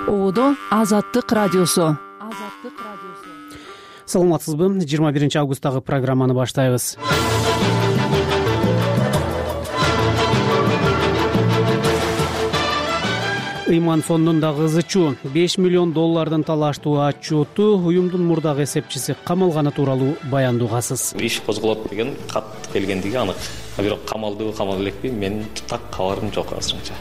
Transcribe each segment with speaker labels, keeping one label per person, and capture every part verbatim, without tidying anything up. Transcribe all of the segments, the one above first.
Speaker 1: Оодо Азаттык радиосу.
Speaker 2: Саламатсызбы? жыйырма биринчи августтагы программаны баштайбыз. Ыйман фондундагы ызычуу беш миллион доллардын талаштуу отчету уюмдун мурдагы эсепчиси камалганы тууралуу баяндоо угасыз.
Speaker 3: Иш козголот деген кат келгендиги анык. Бирок камалдыбы камал элекпи, менин так кабарым жок азырынча.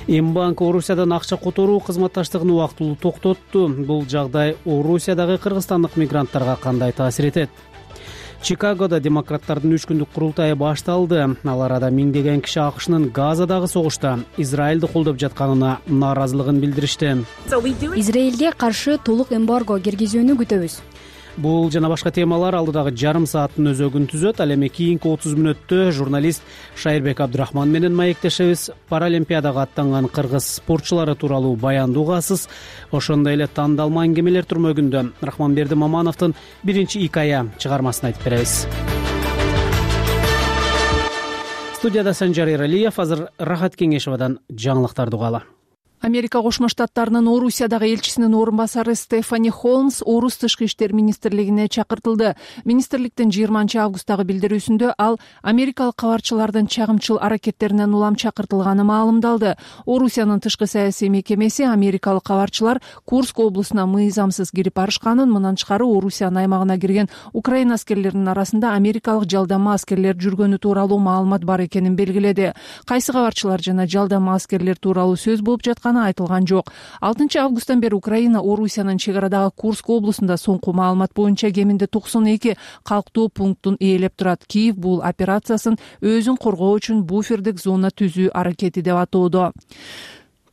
Speaker 2: Мбанк Орусиядан акча которуу кызматташтыгын убактылуу токтотту. Бул жагдай Орусиядагы кыргызстандык мигранттарга кандай таасир этет? Чикагодо демократтардын үч күндүк курултайы башталды. Ал арада миңдеген киши АКШнын Газадагы согушта Израилди колдоп жатканына нааразылыгын билдиришти.
Speaker 4: Израилге каршы толук эмбарго киргизүүнү күтөбүз.
Speaker 2: Бул жана башка темалар алдыдагы жарым сааттын өзөгүн түзөт. Ал эми кийинки отуз мүнөттө журналист Шайырбек Абдрахман менен маектешебиз. Паралимпиадага аттанган кыргыз спортчулары тууралуу баяндоо угасыз. Ошондой эле тандалма аңгемелер түрмөгүндө Рахманберди Мамановдун биринчи икая чыгармасын айтып беребиз. Студияда Санжар Эралиев, азыр Рахат Кеңешовадан жаңылыктарды угалы.
Speaker 1: Америка Кошмо Штаттарынын Орусиядагы элчисинин орун басары Стефани Холмс Орус тышкы иштер министрлигине чакыртылды. Министрликтин жыйырманчы августтагы билдирүүсүндө ал америкалык кабарчылардын чагымчыл аракеттеринен улам чакыртылганы маалымдалды. Орусиянын тышкы саясий мекемеси америкалык кабарчылар Курск облусуна мыйзамсыз кирип барышканын, мындан тышкары Орусиянын аймагына кирген Украина аскерлеринин арасында америкалык жалдама аскерлер жүргөнү тууралуу маалымат бар экенин белгиледи. Кайсы кабарчылар жана жалдама аскерлер тууралуу сөз болуп жаткан айтылган жок. алтынчы августтан бери Украина Орусиянын чек арадагы Курск облусунда соңку маалымат боюнча кеминде токсон эки калктуу пунктун ээлеп турат. Киев бул операциясын өзүн коргоо үчүн буфердик зона түзүү аракети деп атоодо.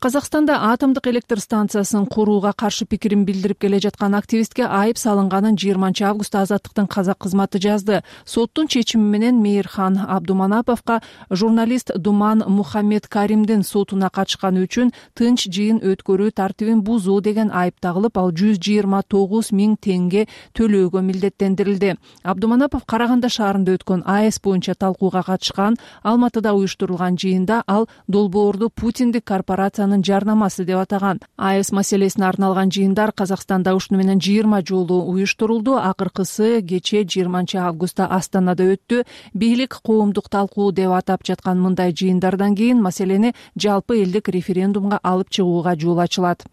Speaker 1: Казакстанда атомдук электр станциясын курууга каршы пикирин билдирип келе жаткан активистке айып салынганын жыйырманчы августта Азаттыктын казак кызматы жазды. Соттун чечими менен Мейирхан Абдуманаповго журналист Думан Мухаммед Каримдин сотуна катышканы үчүн тынч жыйын өткөрүү тартибин бузуу деген айып тагылып, ал жүз жыйырма тогуз миң теңге төлөөгө милдеттендирилди. Абдуманапов Караганда шаарында өткөн АЭС боюнча талкууга катышкан. Алматыда уюштурулган жыйында ал долбоорду Путиндик корпорациянын жарнамасы деп атаган. АЭС маселесине арналган жыйындар Казакстанда ушуну менен жыйырма жолу уюштурулду. Акыркысы кечээ жыйырманчы августта Астанада өттү. Бийлик коомдук талкуу деп атап жаткан мындай жыйындардан кийин маселени жалпы элдик референдумга алып чыгууга жол ачылат.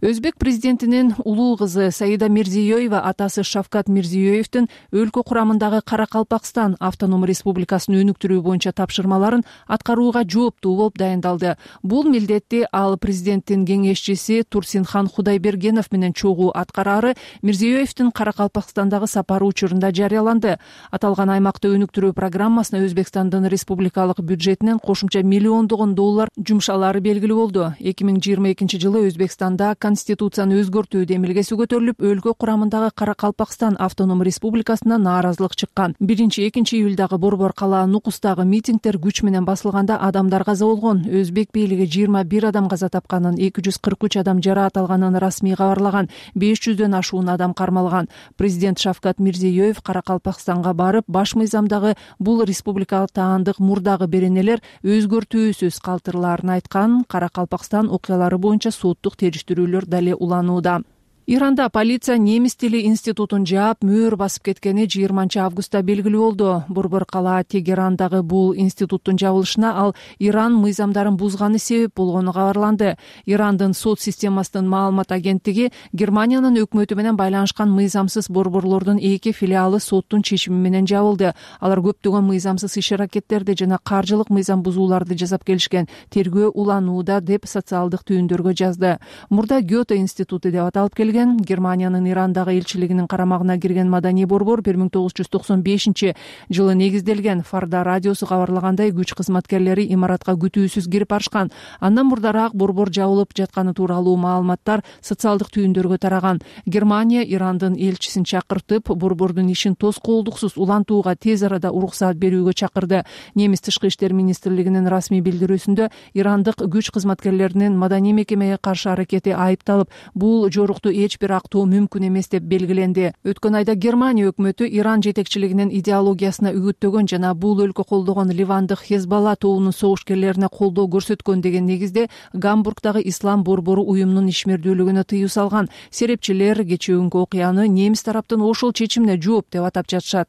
Speaker 1: Өзбек президентинин улуу кызы Саида Мирзиёева атасы Шавкат Мирзиёевдин өлкө курамындагы Каракалпакстан автоном республикасын өнүктүрүү боюнча тапшырмаларын аткарууга жооптуу болуп дайындалды. Бул милдетти ал президенттин кеңешчиси Турсинхан Худайбергенов менен чогуу аткарары Мирзиёевдин Каракалпакстандагы сапары учурунда жарыяланды. Аталган аймакты өнүктүрүү программасына Өзбекстандын республикалык бюджетинен кошумча миллиондогон доллар жумшалары белгилүү болду. эки миң жыйырма экинчи жылы Өзбекстан конституцияны өзгөртүү демилгеси көтөрүлүп, өлкө курамындагы Каракалпакстан автоном республикасына нааразылык чыккан. биринчи экинчи июлдагы борбор калаа Нукустагы митингдер күч менен басылганда адамдар каза болгон. Өзбек бийлиги жыйырма бир адам каза тапканын, эки жүз кырк үч адам жараат алганын расмий кабарлаган. беш жүздөн ашуун адам кармалган. Президент Шавкат Мирзиёев Каракалпакстанга барып, баш мыйзамдагы бул республикалык таандык мурдагы беренелер өзгөртүүсүз калтырылаарын айткан. Каракалпакстан окуялары боюнча соттук териштирүүлөр дале уланууда. Иранда полиция немис тили институтун жаап, мөөр басып кеткени жыйырманчы августта белгилүү болду. Борбор калаа Тегерандагы бул институттун жабылышына ал Иран мыйзамдарын бузганы себеп болгону кабарланды. Ирандын сот системасынын маалымат агенттиги Германиянын өкмөтү менен байланышкан мыйзамсыз борборлордун эки филиалы соттун чечими менен жабылды. Алар көптөгөн мыйзамсыз иш-аракеттерди жана каржылык мыйзам бузууларды жасап келишкен. Тергөө уланууда деп социалдык түйүндөргө жазды. Мурда Гёте институту деп аталып келген Германиянын Ирандагы элчилигинин карамагына кирген маданий борбор бир миң тогуз жүз токсон бешинчи жылы негизделген. Фарда радиосу кабарлагандай, күч кызматкерлери имаратка күтүүсүз кирип барышкан. Андан мурдараак борбор жабылып жатканы тууралуу маалыматтар социалдык түйүндөргө тараган. Германия Ирандын элчисин чакыртып, борбордун ишин тоскоолдуксуз улантууга тез арада уруксаат берүүгө чакырды. Немис тышкы иштер министрлигинин расмий билдирүүсүндө Ирандык күч кызматкерлеринин маданий мекемеге каршы аракети айыпталып, бул жорукту эч бир актоо мүмкүн эмес деп белгиленди. Өткөн айда Германия өкмөтү Иран жетекчилигинин идеологиясына үгүттөгөн жана бул өлкө колдогон ливандык Хезбалла тобунун согушкерлерине колдоо көрсөткөн деген негизде Гамбургдагы ислам борбору уюмунун ишмердүүлүгүнө тыюу салган. Серепчилер кечээүнкү окуяны немис тараптын ошол чечимине жооп деп атап жатышат.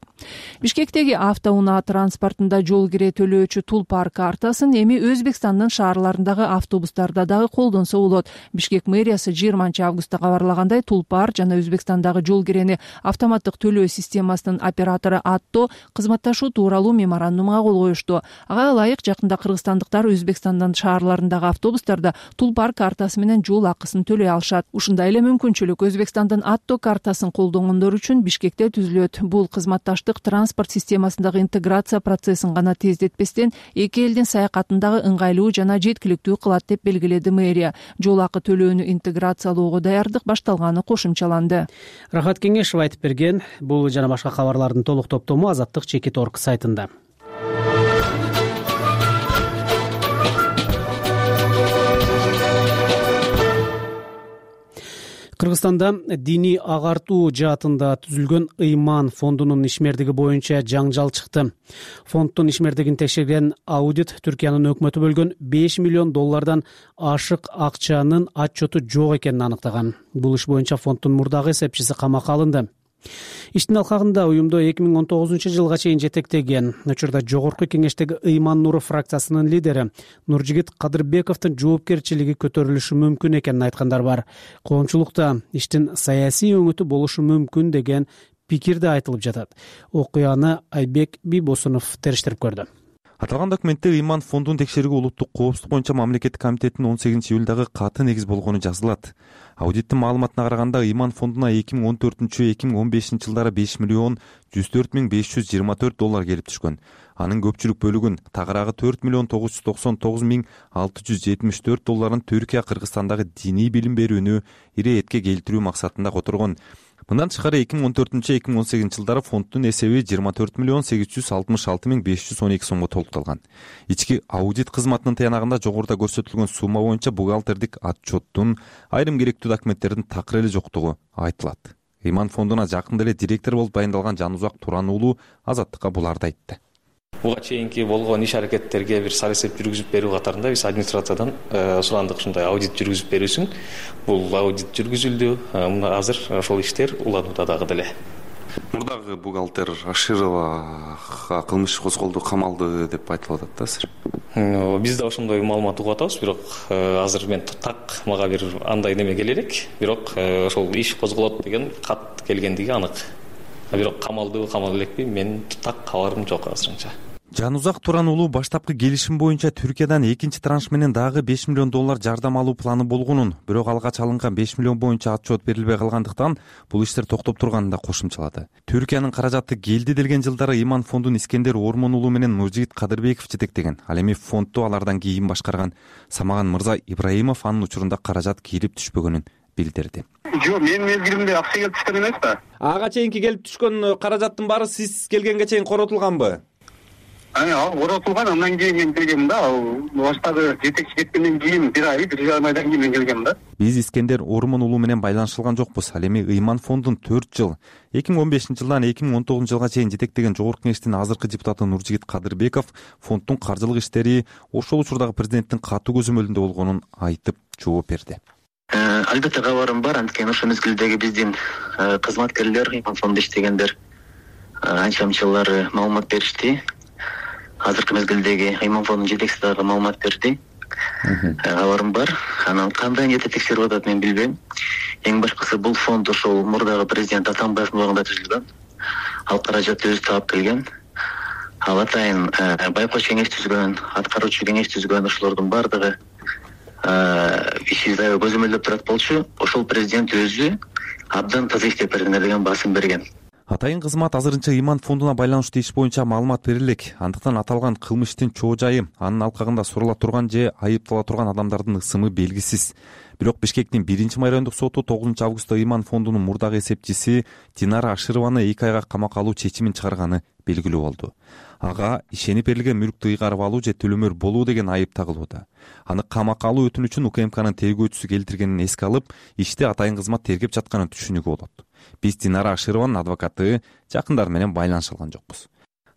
Speaker 1: Бишкектеги автоунаа транспортунда жол кире төлөөчү Тулпар картасын эми Өзбекстандын шаарларындагы автобустарда дагы колдонсо болот. Бишкек мэриясы жыйырманчы августта кабарлагандай, Тулпар жана Өзбекстандагы жол кирени автоматтык төлөө системасынын оператору Атто кызматташуу тууралуу меморандумга кол коюшту. Ага ылайык жакында кыргызстандыктар Өзбекстандын шаарларындагы автобустарда Тулпар картасы менен жол акысын төлөй алышат. Ушундай эле мүмкүнчүлүк Өзбекстандын Атто картасын колдонгондор үчүн Бишкекте түзүлөт. Бул кызматташтык транспорт системасындагы интеграция процессин гана тездетпестен эки элдин саякатындагы ыңгайлуу жана жеткиликтүү кылат деп белгиледи мэрия. Жол акы төлөөнү интеграциялоого даярдык башталганы кошумчаланды.
Speaker 2: Рахат Кеңешов айтып берген. Бул жана башка кабарлардын толук топтому Азаттык чекит точка орг сайтында. Кыргызстанда диний агартуу жаатында түзүлгөн Ыйман фондунун ишмердиги боюнча жаңжал чыкты. Фонддун ишмердигин текшерген аудит Түркиянын өкмөтү бөлгөн беш миллион доллардан ашык акчанын отчету жок экенин аныктаган. Бул иш боюнча фонддун мурдагы эсепчиси камакка алынды. Иштин алкагында уюмду эки миң он тогузунчу жылга чейин жетектеген, учурда жогорку кеңештеги Ыйман Нуру фракциясынын лидери Нуржигит Кадырбековдун жоопкерчилиги көтөрүлүшү мүмкүн экенин айткандар бар. Коомчулукта иштин саясий өңүтү болушу мүмкүн деген пикир да айтылып жатат. Окуяны Айбек Бийбосунов териштирип көрдү.
Speaker 5: Аталган документте Ыйман фондун текшерүүгө улуттук коопсуздук боюнча мамлекеттик комитеттин он сегизинчи июлдагы каты негиз болгону жазылат. Аудиттин маалыматына караганда Ыйман фондуна эки миң он төртүнчү эки миң он бешинчи жылдары беш миллион жүз төрт миң беш жүз жыйырма төрт доллар келип түшкөн. Анын көпчүлүк бөлүгүн, тагыраагы төрт миллион тогуз жүз токсон тогуз миң алты жүз жетимиш төрт долларын Түркия Кыргызстандагы диний билим берүүнү иретке келтирүү максатында которгон. Мындан тышкары эки миң он төртүнчү эки миң он сегизинчи жылдары фонддун эсеби жыйырма төрт миллион сегиз жүз алтымыш алты миң беш жүз он эки сомго толукталган. Ички аудит кызматынын таянагында жогоруда көрсөтүлгөн сумма боюнча бухгалтердик отчеттун айрым керектүү документтердин такыр эле жоктугу айтылат. Ыйман фондуна жакында эле директор болуп дайындалган Жанузак Туран уулу Азаттыкка буларды айтты.
Speaker 3: Буга чейинки болгон иш аракеттерге бир сар эсеп жүргүзүп берүү катарында биз администрациядан сурандык, ушундай аудит жүргүзүп берүүсүн. Бул аудит жүргүзүлдү. Мына азыр ошол иштер уланууда дагы деле.
Speaker 6: Мурдагы бухгалтер Ашировага кылмыш козголду, камалды деп айтылып атат да азыр.
Speaker 3: Биз да ошондой маалымат угуп атабыз, бирок азыр мен так мага бир андай неме келе элек, бирок ошол иш козголот деген кат келгендиги анык. Бирок камалды, камал элекпи, мен так кабарым жок азырынча.
Speaker 5: Жанузак Туран уулу баштапкы келишим боюнча Түркиядан экинчи транш менен дагы беш миллион доллар жардам алуу планы болгонун, бирок алгач алынган беш миллион боюнча отчет берилбей калгандыктан бул иштер токтоп турганын да кошумчалады. Түркиянын каражаты келди делген жылдары Ыйман фондун Искендер Ормон уулу менен Нуржигит Кадырбеков жетектеген. Ал эми фондду алардан кийин башкарган Самаган Мырза Ибраимов анын учурунда каражат кирип түшпөгөнүн билдирди.
Speaker 7: Жок, менин мезгилимде акча келип түшкөн эмес да.
Speaker 8: Ага чейинки келип түшкөн каражаттын баары сиз келгенге чейин коротулганбы?
Speaker 7: Ал коротулган, андан кийин мен келгем да. Ал баштагы жетекчи кеткенден кийин бир ай, бир жарым айдан кийин мен келгем да.
Speaker 5: Биз Искендер Ормон уулу менен байланышылган жокпуз. Ал эми Ыйман фондун төрт жыл, эки миң он бешинчи жылдан эки миң он тогузунчу жылга чейин жетектеген жогорку кеңештин азыркы депутаты Нуржигит Кадырбеков фонддун каржылык иштери ошол учурдагы президенттин катуу көзөмөлүндө болгонун айтып жооп берди.
Speaker 9: Албетте кабарым бар, анткени ошол мезгилдеги биздин кызматкерлер, Ыйман фондунда иштегендер анча мынчалар маалымат беришти. Азыркы мезгилдеги Ыйман фондунун жетекчиси дагы маалымат берди. Кабарым бар. Анан кандай ниетте текшерип атат мен билбейм. Эң башкысы бул фонд ошол мурдагы президент Атамбаевдин убагында түзүлгөн. Ал каражатты өзү таап келген. Ал атайын байкоч кеңеш түзгөн, аткаруучу кеңеш түзгөн, ошолордун бардыгы иши аябай көзөмөлдөп турат болчу. Ошол президент өзү абдан таза иштеп бердиңер деген басым берген.
Speaker 5: Атайын кызмат азырынча Ыйман фондуна байланыштуу иш боюнча маалымат берилек. Андыктан аталган кылмыштын чоо жайы, анын алкагында сурула турган же айыптала турган адамдардын ысымы белгисиз. Бирок Бишкектин биринчи майрандык соту тогузунчу августта Ыйман фондунун мурдагы эсепчиси Динара Ашированы эки айга камакка алуу чечимин чыгарганы белгилүү болду. Ага ишенип берилген мүлктү ыйгарып алуу же төлөмөр болуу деген айып тагылууда. Аны камакка алуу өтүнүчүн УКМКнын тергөөчүсү келтиргенин эске алып, ишти атайын кызмат тергеп жатканын түшүнүүгө болот. Биз Динара Ашированын адвокаты жакындары менен байланыша алган жокпуз.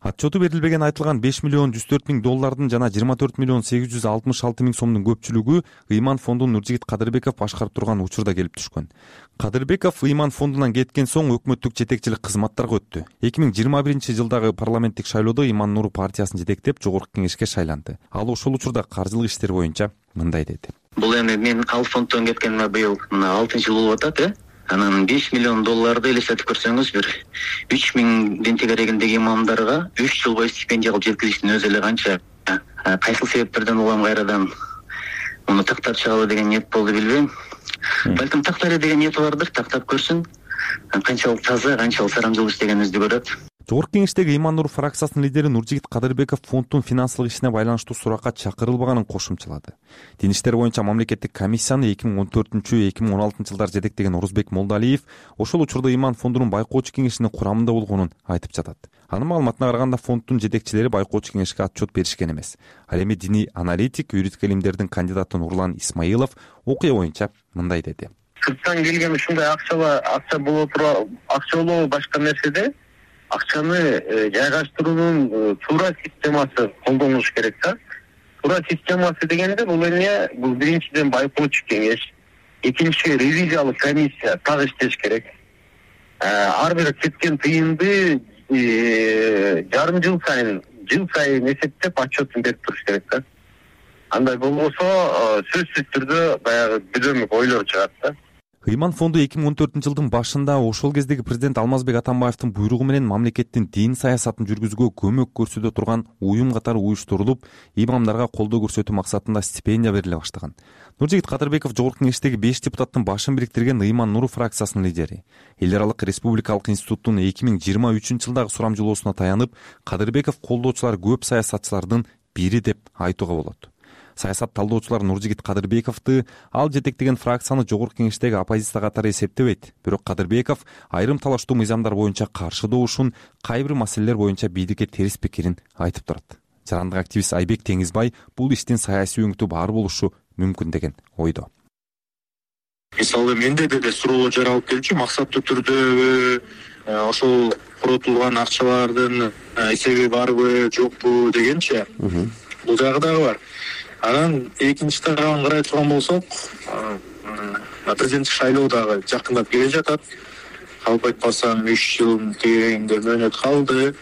Speaker 5: Отчету берилбеген айтылган беш миллион жүз төрт миң доллардын жана жыйырма төрт миллион сегиз жүз алтымыш алты миң сомдун көпчүлүгү Ыйман фондун Нуржигит Кадырбеков башкарып турган учурда келип түшкөн. Кадырбеков Ыйман фондунан кеткен соң өкмөттүк жетекчилик кызматтарга өттү. эки миң жыйырма биринчи жылдагы парламенттик шайлоодо Ыйман Нуру партиясын жетектеп жогорку кеңешке шайланды. Ал ошол учурда каржылык иштер боюнча мындай деди.
Speaker 9: Бул эми мен ал фонддон кеткениме быйыл мына алтынчы жыл болуп атат, э? Анан беш миллион долларды элестетип көрсөңүз, бир үч миңдин тегерегиндеги имамдарга үч жыл бою стипендия кылып жеткизиштин өзү эле канча кайсыл себептерден улам кайрадан муну тактап чыгалы деген ниет болду билбейм. Балким тактайлы деген ниети бардыр, тактап көрсүн. Канчалык таза, канчалык сарамжылуу иштегенибизди көрөт.
Speaker 5: Жогорку кеңештеги Ыйман Нур фракциясынын лидери Нуржигит Кадырбеков фонддун финансылык ишине байланыштуу суракка чакырылбаганын кошумчалады. Дин иштер боюнча мамлекеттик комиссияны эки миң он төртүнчү эки миң он алтынчы жылдары жетектеген Орузбек Молдалиев ошол учурда Ыйман фондунун байкоочу кеңешинин курамында болгонун айтып жатат. Анын маалыматына караганда фонддун жетекчилери байкоочу кеңешке отчет беришкен эмес. Ал эми диний аналитик, юридик илимдердин кандидаты Нурлан Исмаилов окуя боюнча мындай деди.
Speaker 7: Сырттан келген ушундай акчала акча боло тура акча болобу башка нерседе акчаны жайгаштыруунун туура системасы колдонулуш керек да. Туура системасы дегенде бул эмне? Бул биринчиден байкоочу кеңеш, экинчи ревизиялык комиссия так иштеш керек. Ар бир кеткен тыйынды жарым жыл сайын, жыл сайын эсептеп отчетун берип туруш керек да. Андай болбосо сөзсүз түрдө баягы бүдөмүк ойлор чыгат да.
Speaker 5: Ыйман фонду эки миң он төртүнчү жылдын башында ошол кездеги президент Алмазбек Атамбаевдин буйругу менен мамлекеттин дин саясатын жүргүзүүгө көмөк көрсөтө турган уюм катары уюштурулуп, имамдарга колдоо көрсөтүү максатында стипендия бериле баштаган. Нуржигит Кадырбеков жогорку кеңештеги беш депутаттын башын бириктирген Ыйман Нуру фракциясынын лидери. Эл аралык республикалык институттун эки миң жыйырма үчүнчү жылдагы сурамжылоосуна таянып, Кадырбеков колдоочулар көп саясатчылардын бири деп айтууга болот. Саясат талдоочулар Нуржигит Кадырбековду ал жетектеген фракцияны жогорку кеңештеги оппозиция катары эсептебейт. Бирок Кадырбеков айрым талаштуу мыйзамдар боюнча каршы добушун, кайбир маселелер боюнча бийликке терс пикирин айтып турат. Жарандык активист Айбек Теңизбай бул иштин саясий өңүтү бар болушу мүмкүн деген ойдо.
Speaker 10: Мисалы менде деле суроолор жаралып келчү, максаттуу түрдө ошол коротулган акчалардын эсеби барбы, жокпу дегенчи. Бул жагы дагы бар. Анан экинчи тарабын карай турган болсок, президенттик шайлоо дагы жакындап келе жатат. Калп айтпасам үч жылдын тегерегинде мөөнөт калды.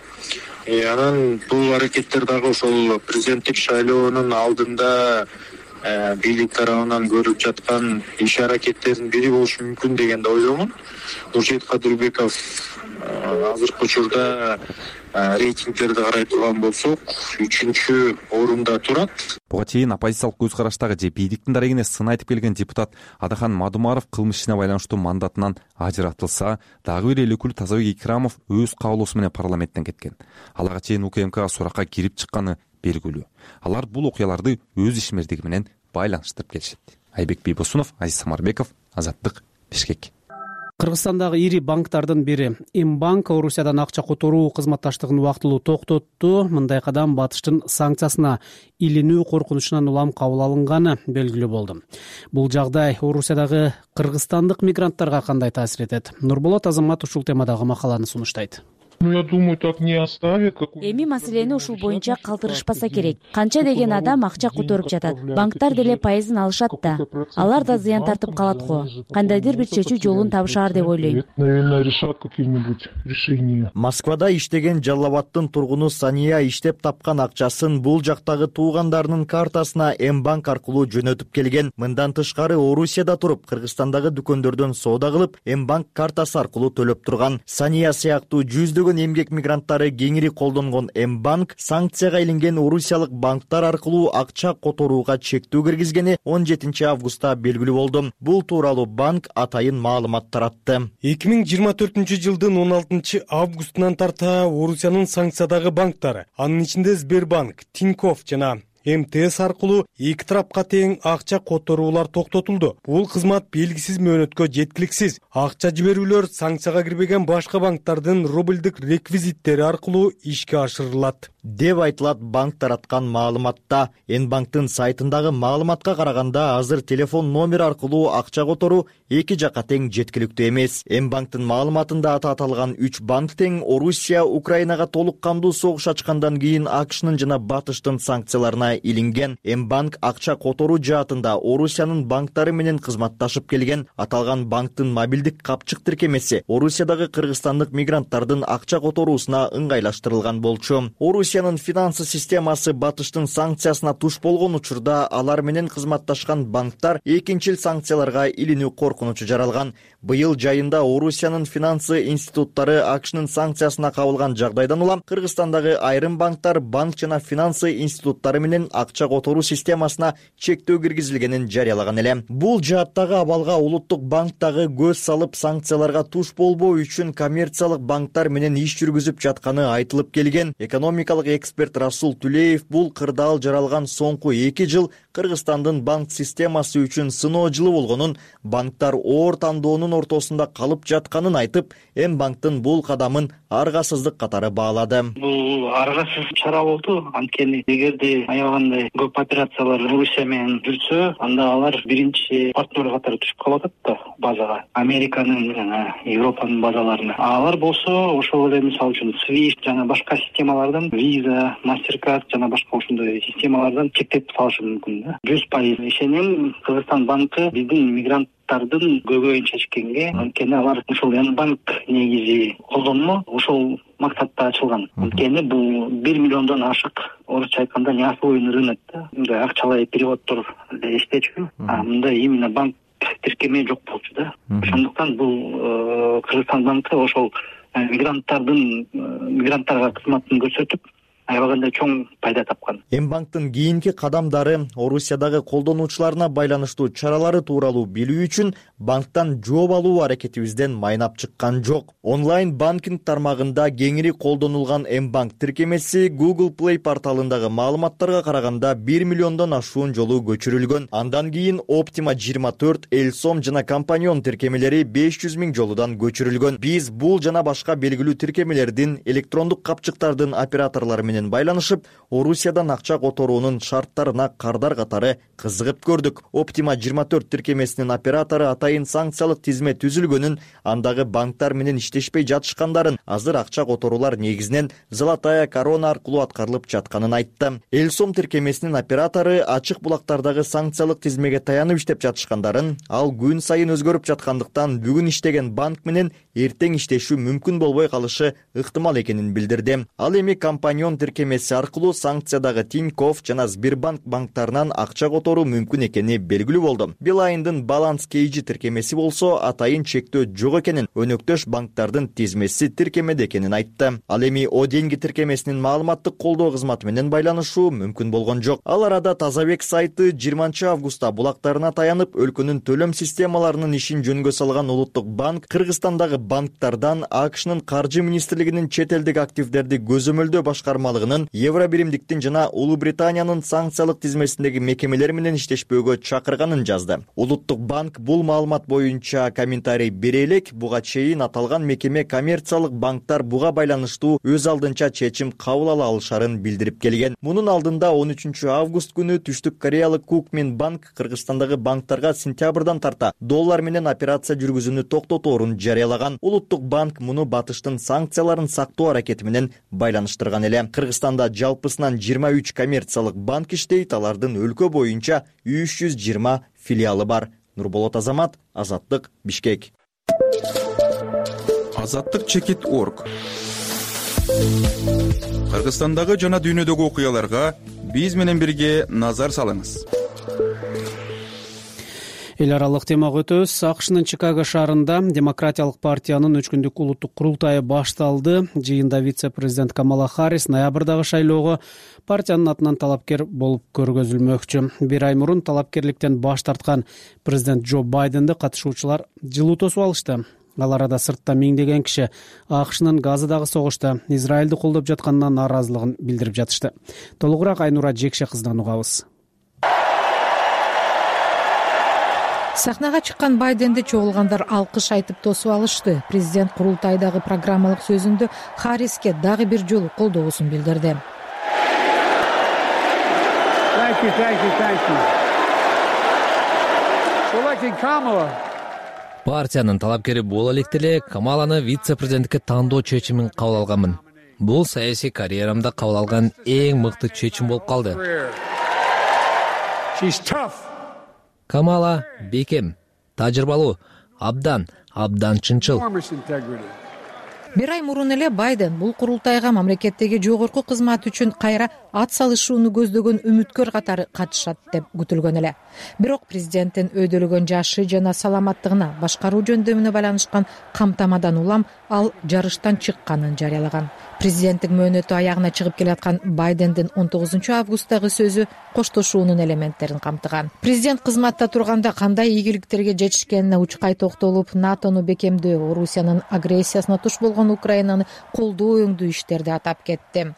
Speaker 10: Анан бул аракеттер дагы ошол президенттик шайлоонун алдында бийлик тарабынан көрүлүп жаткан иш аракеттердин бири болушу мүмкүн дегенде ойлоймун. Нуржигит Кадырбеков азыркы учурда рейтингтерди карай турган болсок, үчүнчү орунда турат.
Speaker 5: Буга чейин оппозициялык көз караштагы же бийликтин дарегине сын айтып келген депутат Адахан Мадумаров кылмыш ишине байланыштуу мандатынан ажыратылса, дагы бир эл өкүлү Тазабек Икрамов өз каалоосу менен парламенттен кеткен. Аларга чейин УКМКга суракка кирип чыкканы белгилүү. Алар бул окуяларды өз ишмердиги менен байланыштырып келишет. Айбек Бийбосунов, Азиз Самарбеков, Азаттык, Бишкек.
Speaker 2: Кыргызстандагы ири банктардын бири Мбанк Орусиядан акча которуу кызматташтыгын убактылуу токтотту. Мындай кадам Батыштын санкциясына илинүү коркунучунан улам кабыл алынганы белгилүү болду. Бул жагдай Орусиядагы кыргызстандык мигранттарга кандай таасир этет? Нурболот Азамат ушул темадагы макаланы сунуштайт.
Speaker 11: Ну, я думаю, так не оставит.
Speaker 12: Эми маселени ушул боюнча калтырышпаса керек. Канча деген адам акча которуп жатат. Банктар деле пайызын алышат да. Алар да зыян тартып калат го. Кандайдыр бир чечүү жолун табышаар деп ойлойм.
Speaker 11: Наверное, решат какие-нибудь решения.
Speaker 13: Москвада иштеген Жалал Абадтын тургуну Сания иштеп тапкан акчасын бул жактагы туугандарынын картасына Мбанк аркылуу жөнөтүп келген. Мындан тышкары Орусияда туруп, Кыргызстандагы дүкөндөрдөн соода кылып, Мбанк картасы аркылуу төлөп турган. Сания сыяктуу жүздөгөн эмгек мигранттары кеңири колдонгон Мбанк санкцияга илинген орусиялык банктар аркылуу акча которууга чектөө киргизгени он жетинчи августта белгилүү болду. Бул тууралуу банк атайын маалымат таратты.
Speaker 14: эки миң жыйырма төртүнчү жылдын он алтынчы августунан тарта Орусиянын санкциядагы банктары, анын ичинде Сбербанк, Тинькофф жана эм тэ эс аркылуу эки тарапка тең акча которуулар токтотулду. Бул кызмат белгисиз мөөнөткө жеткиликсиз. Акча жиберүүлөр санкцияга кирбеген башка банктардын рубльдик реквизиттери аркылуу ишке ашырылат
Speaker 13: деп айтылат банк тараткан маалыматта. Н-банктын сайтындагы маалыматка караганда азыр телефон номер аркылуу акча которуу эки жакка тең жеткиликтүү эмес. Н-банктын маалыматында аты аталган үч банк тең Орусия Украинага толук кандуу согуш ачкандан кийин АКШнын жана Батыштын санкцияларына илинген. М-банк акча которуу жаатында Орусиянын банктары менен кызматташып келген. Аталган банктын мобилдик капчык тиркемеси Орусиядагы кыргызстандык мигранттардын акча которуусуна ыңгайлаштырылган болчу. Орусиянын финансы системасы Батыштын санкциясына туш болгон учурда алар менен кызматташкан банктар экинчил санкцияларга илинүү коркунучу жаралган. Быйыл жайында Орусиянын финансы институттары АКШнын санкциясына кабылган жагдайдан улам Кыргызстандагы айрым банктар банк жана финансы институттары менен акча которуу системасына чектөө киргизилгенин жарыялаган эле. Бул жааттагы абалга улуттук банк дагы көз салып, санкцияларга туш болбоо үчүн коммерциялык банктар менен иш жүргүзүп жатканы айтылып келген. Экономикалык эксперт Расул Түлеев бул кырдаал жаралган соңку эки жыл Кыргызстандын банк системасы үчүн сыноо жылы болгонун, банктар оор тандоонун ортосунда калып жатканын айтып, М-банктын бул кадамын аргасыздык катары баалады.
Speaker 15: Бул аргасыз чара болду. Анткени эгерде аябагандай көп операциялар Орусия менен жүрсө, анда алар биринчи партнер катары түшүп калып атат да базага. Американын жана Европанын базаларына. Алар болсо ошол эле мисалы үчүн Swift жана башка системалардан, Visa, Mastercard жана башка ошондой системалардан чектеп салышы мүмкүн да. жүз пайыз ишенем, Кыргызстан банкы биздин мигранттардын көбөйүн чечкенге, анткени алар ушул Н-банк негизи колдонмо ошол максатта ачылган. Анткени бул бир миллиондон ашык, орусча айтканда неосвоенный рынок да. Мындай акчалай переводдор иштечү. А мында именно банк тиркеме жок болчу да. Ошондуктан бул Кыргызстан банкы ошол мигранттардын мигранттарга кызматын көрсөтүп аябагандай чоң пайда тапкан.
Speaker 13: М-банктын кийинки кадамдары Орусиядагы колдонуучуларына байланыштуу чаралары тууралуу билүү үчүн банктан жооп алуу аракетибизден майнап чыккан жок. Онлайн банкинг тармагында кеңири колдонулган М-банк тиркемеси Google Play порталындагы маалыматтарга караганда бир миллиондон ашуун жолу көчүрүлгөн. Андан кийин Optima жыйырма төрт, Элсом жана Компаньон тиркемелери беш жүз миң жолудан көчүрүлгөн. Биз бул жана башка белгилүү тиркемелердин электрондук капчыктардын операторлору менен байланышып, Орусиядан акча которуунун шарттарына кардар катары кызыгып көрдүк. Optima жыйырма төрт тиркемесинин оператору атайын санкциялык тизме түзүлгөнүн, андагы банктар менен иштешпей жатышкандарын, азыр акча которуулар негизинен Золотая корона аркылуу аткарылып жатканын айтты. Элсом тиркемесинин оператору ачык булактардагы санкциялык тизмеге таянып иштеп жатышкандарын, ал күн сайын өзгөрүп жаткандыктан бүгүн иштеген банк менен эртең иштешүү мүмкүн болбой калышы ыктымал экенин билдирди. Ал эми Компаньон тиркемеси аркылуу санкциядагы Тинькофф жана Сбербанк банктарынан акча которуу мүмкүн экени белгилүү болду. Билайндын Баланс Кейжи тиркемеси болсо атайын чектөө жок экенин, өнөктөш банктардын тизмеси тиркемеде экенин айтты. Ал эми О деньги тиркемесинин маалыматтык колдоо кызматы менен байланышуу мүмкүн болгон жок. Ал арада Тазабек сайты жыйырманчы августта булактарына таянып, өлкөнүн төлөм системаларынын ишин жөнгө салган Улуттук банк Кыргызстандагы банктардан АКШнын каржы министрлигинин чет элдик активдерди көзөмөлдөө башкармалыгынын, Евробиримдиктин жана Улуу Британиянын санкциялык тизмесиндеги мекемелер менен иштешпөөгө чакырганын жазды. Улуттук банк бул маалымат боюнча комментарий бере элек, буга чейин аталган мекеме коммерциялык банктар буга байланыштуу өз алдынча чечим кабыл ала алышарын билдирип келген. Мунун алдында он үчүнчү август күнү Түштүк Кореялык Кукмин банк Кыргызстандагы банктарга сентябрдан тарта доллар менен операция жүргүзүүнү токтоторун жарыялаган. Улуттук банк муну Батыштын санкцияларын сактоо аракети менен байланыштырган эле. Кыргызстанда жалпысынан жыйырма үч коммерциялык банк иштейт, алардын өлкө боюнча үч жүз жыйырма филиалы бар. Нурболот Азамат, Азаттык, Бишкек.
Speaker 16: Азаттык чекит точка орг. Кыргызстандагы жана дүйнөдөгү окуяларга биз менен бирге назар салыңыз.
Speaker 2: Эл аралык темага өтөбүз. АКШнын Чикаго шаарында Демократиялык партиянын үч күндүк улуттук курултайы башталды. Жыйында вице-президент Камала Харрис ноябрдагы шайлоого партиянын атынан талапкер болуп көргөзүлмөкчү. Бир ай мурун талапкерликтен баш тарткан президент Джо Байденди катышуучулар жылуу тосуп алышты. ал арада сыртта миңдеген киши акшнын Газадагы согушта Израилди колдоп жатканына нааразылыгын билдирип жатышты. Толугураак Айнура Жекше кызынан угабыз.
Speaker 17: Сахнага чыккан Байденди чогулгандар алкыш айтып тосуп алышты. Президент курултайдагы программалык сөзүндө Харриске дагы бир жолу колдоосун билдирди.
Speaker 18: Партиянын талапкери боло электе эле Камаланы вице-президенттикке тандоо чечимин кабыл алганмын. Бул саясий карьерамда кабыл алган эң мыкты чечим болуп калды. Камала бекем, тажрыйбалуу, абдан, абдан чынчыл.
Speaker 17: Бир ай мурун эле Байден бул курултайга мамлекеттеги жогорку кызмат үчүн кайра ат салышууну көздөгөн үмүткөр катары катышат деп күтүлгөн эле. Бирок президенттин өйдөлөгөн жашы жана саламаттыгына башкаруу жөндөмүнө байланышкан камтамадан улам ал жарыштан чыкканын жарыялаган. Президенттик мөөнөтү аягына чыгып келаткан Байдендин он тогузунчу августтагы сөзү коштошуунун элементтерин камтыган. Президент кызматта турганда кандай ийгиликтерге жетишкенине учкай токтолуп, НАТОну бекемдөө, Орусиянын агрессиясына туш болгон Украинаны колдоо өңдүү иштерди атап кетти.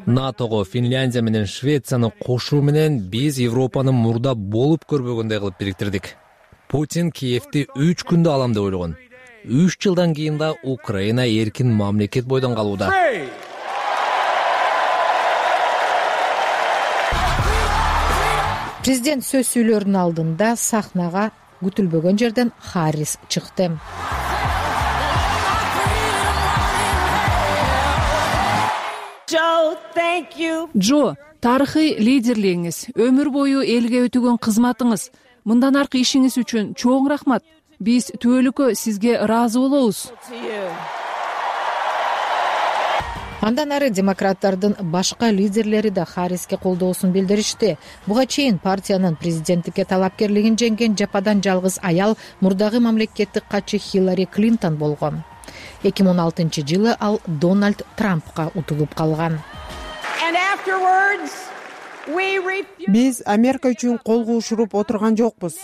Speaker 18: НАТОго Финляндия менен Швецияны кошуу менен биз Европаны мурда болуп көрбөгөндөй кылып бириктирдик. Путин Киевди үч күндө алам деп ойлогон. үч жылдан кийин да Украина эркин мамлекет бойдон калууда.
Speaker 17: Президент сөз сүйлөрүнүн алдында сахнага күтүлбөгөн жерден Харрис чыкты.
Speaker 1: Джо, тарыхый лидерлигиңиз, өмүр бою элге өтөгөн кызматыңыз, мындан аркы ишиңиз үчүн чоң рахмат. Биз түбөлүккө сизге ыраазы болобуз.
Speaker 17: Андан ары демократтардын башка лидерлери да Харриске колдоосун билдиришти. Буга чейин партиянын президенттикке талапкерлигин жеңген жападан жалгыз аял мурдагы мамлекеттик катчы Хиллари Клинтон болгон. эки миң он алтынчы жылы ал Дональд Трампка утулуп калган.
Speaker 19: Биз Америка үчүн кол куушуруп отурган жокпуз.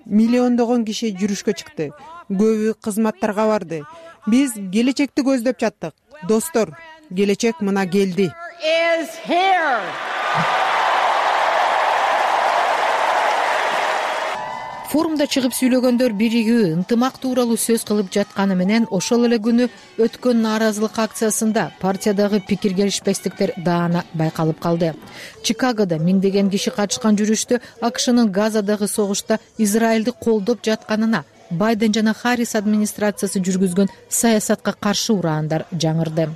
Speaker 19: Миллиондогон киши жүрүшкө чыкты. Көбү кызматтарга барды. Биз келечекти көздөп жаттык. Достор, келечек мына келди.
Speaker 17: Форумда чыгып сүйлөгөндөр биригүү ынтымак тууралуу сөз кылып жатканы менен ошол эле күнү өткөн нааразылык акциясында партиядагы пикир келишпестиктер даана байкалып калды. Чикагодо миңдеген киши катышкан жүрүштө АКШнын Газадагы согушта Израилди колдоп жатканына Байден жана Харрис администрациясы жүргүзгөн саясатка каршы ураандар жаңырды.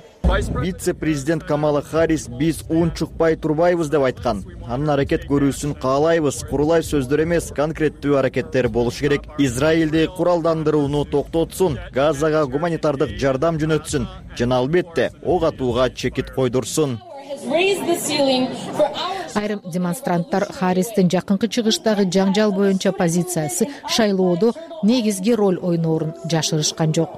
Speaker 13: Вице-президент Камала Харрис биз унчукпай турбайбыз деп айткан. Анын аракет көрүүсүн каалайбыз. Курулай сөздөр эмес, конкреттүү аракеттер болуш керек. Израилди куралдандырууну токтотсун, Газага гуманитардык жардам жөнөтсүн жана албетте ок атууга чекит койдурсун.
Speaker 17: Айрым демонстранттар Харристин жакынкы чыгыштагы жаңжал боюнча позициясы шайлоодо негизги роль ойноорун жашырышкан жок.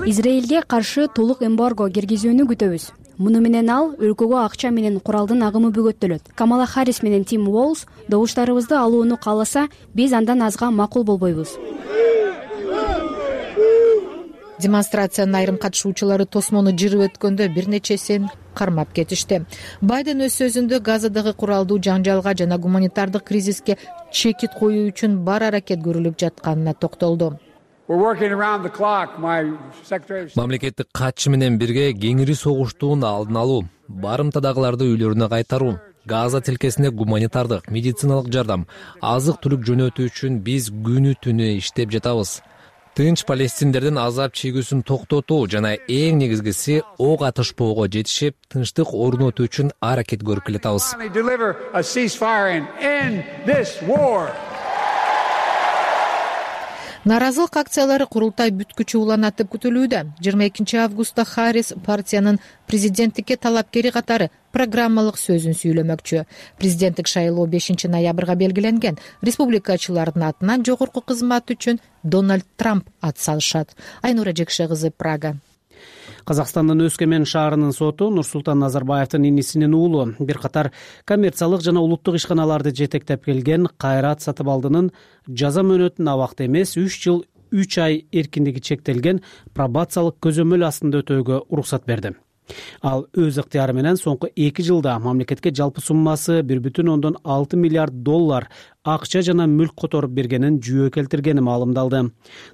Speaker 4: Израилге каршы толук эмбарго киргизүүнү күтөбүз. Муну менен ал өлкөгө акча менен куралдын агымы бөгөттөлөт. Камала Харрис менен Тим Уолз добуштарыбызды алууну кааласа, биз андан азга макул болбойбуз.
Speaker 17: Демонстрациянын айрым катышуучулары тосмону жырып өткөндө бир нечесин кармап кетишти. Байден өз сөзүндө Газадагы куралдуу жаңжалга жана гуманитардык кризиске чекит коюу үчүн бар аракет көрүлүп жатканына токтолду.
Speaker 18: Мамлекеттик катчы менен бирге кеңири согуштун алдын алуу, барымтадагыларды үйлөрүнө кайтаруу, Газа тилкесине гуманитардык, медициналык жардам, азык-түлүк жөнөтүү үчүн биз күнү түнү иштеп жатабыз. Тынч палестиндердин азап чегүүсүн токтотуу жана эң негизгиси ок атышпоого жетишип, тынчтык орнотуу үчүн аракет көрүп келатабыз.
Speaker 17: Нааразылык акциялары курултай бүткүчү уланатып күтүлүүдө. жыйырма экинчи августта Харрис партиянын президенттикке талапкери катары программалык сөзүн сүйлөмөкчү. Президенттик шайлоо бешинчи ноябрга белгиленген. Республикачылардын атынан жогорку кызмат үчүн Дональд Трамп ат салышат. Айнура Жекше кызы, Прага.
Speaker 2: Казакстандын Өскөмен шаарынын соту Нурсултан Назарбаевдин инисинин уулу бир катар коммерциялык жана улуттук ишканаларды жетектеп келген Кайрат Сатыбалдынын жаза мөөнөтүн абакта эмес үч жыл үч ай эркиндиги чектелген пробациялык көзөмөл астында өтөөгө уруксат берди. Ал өз ыктыяры менен соңку эки жылда мамлекетке жалпы суммасы бир бүтүн ондон алты миллиард доллар акча жана мүлк которуп бергенин жүйө келтиргени маалымдалды.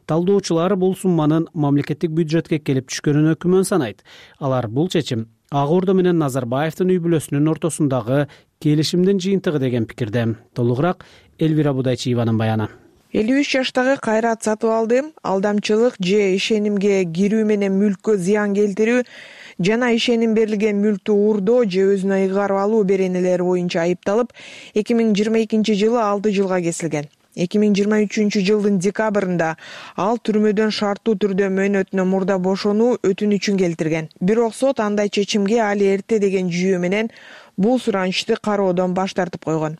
Speaker 2: Талдоочулар бул сумманын мамлекеттик бюджетке келип түшкөнүнө күмөн санайт. Алар бул чечим Ак Ордо менен Назарбаевдин үй бүлөсүнүн ортосундагы келишимдин жыйынтыгы деген пикирде. Толугураак Элвира Будайчиеванын баяны.
Speaker 20: элүү үч жаштагы Кайрат Сатыбалды алдамчылык же ишенимге кирүү менен мүлккө зыян келтирүү жана ишеним берилген мүлктү уурдоо же өзүнө ыйгарып алуу беренелери боюнча айыпталып, эки миң жыйырма экинчи жылы алты жылга кесилген. эки миң жыйырма үчүнчү жылдын декабрында ал түрмөдөн шарттуу түрдө мөөнөтүнөн мурда бошонуу өтүнүчүн келтирген. Бирок сот андай чечимге али эрте деген жүйө менен бул суранычты кароодон баш тартып койгон.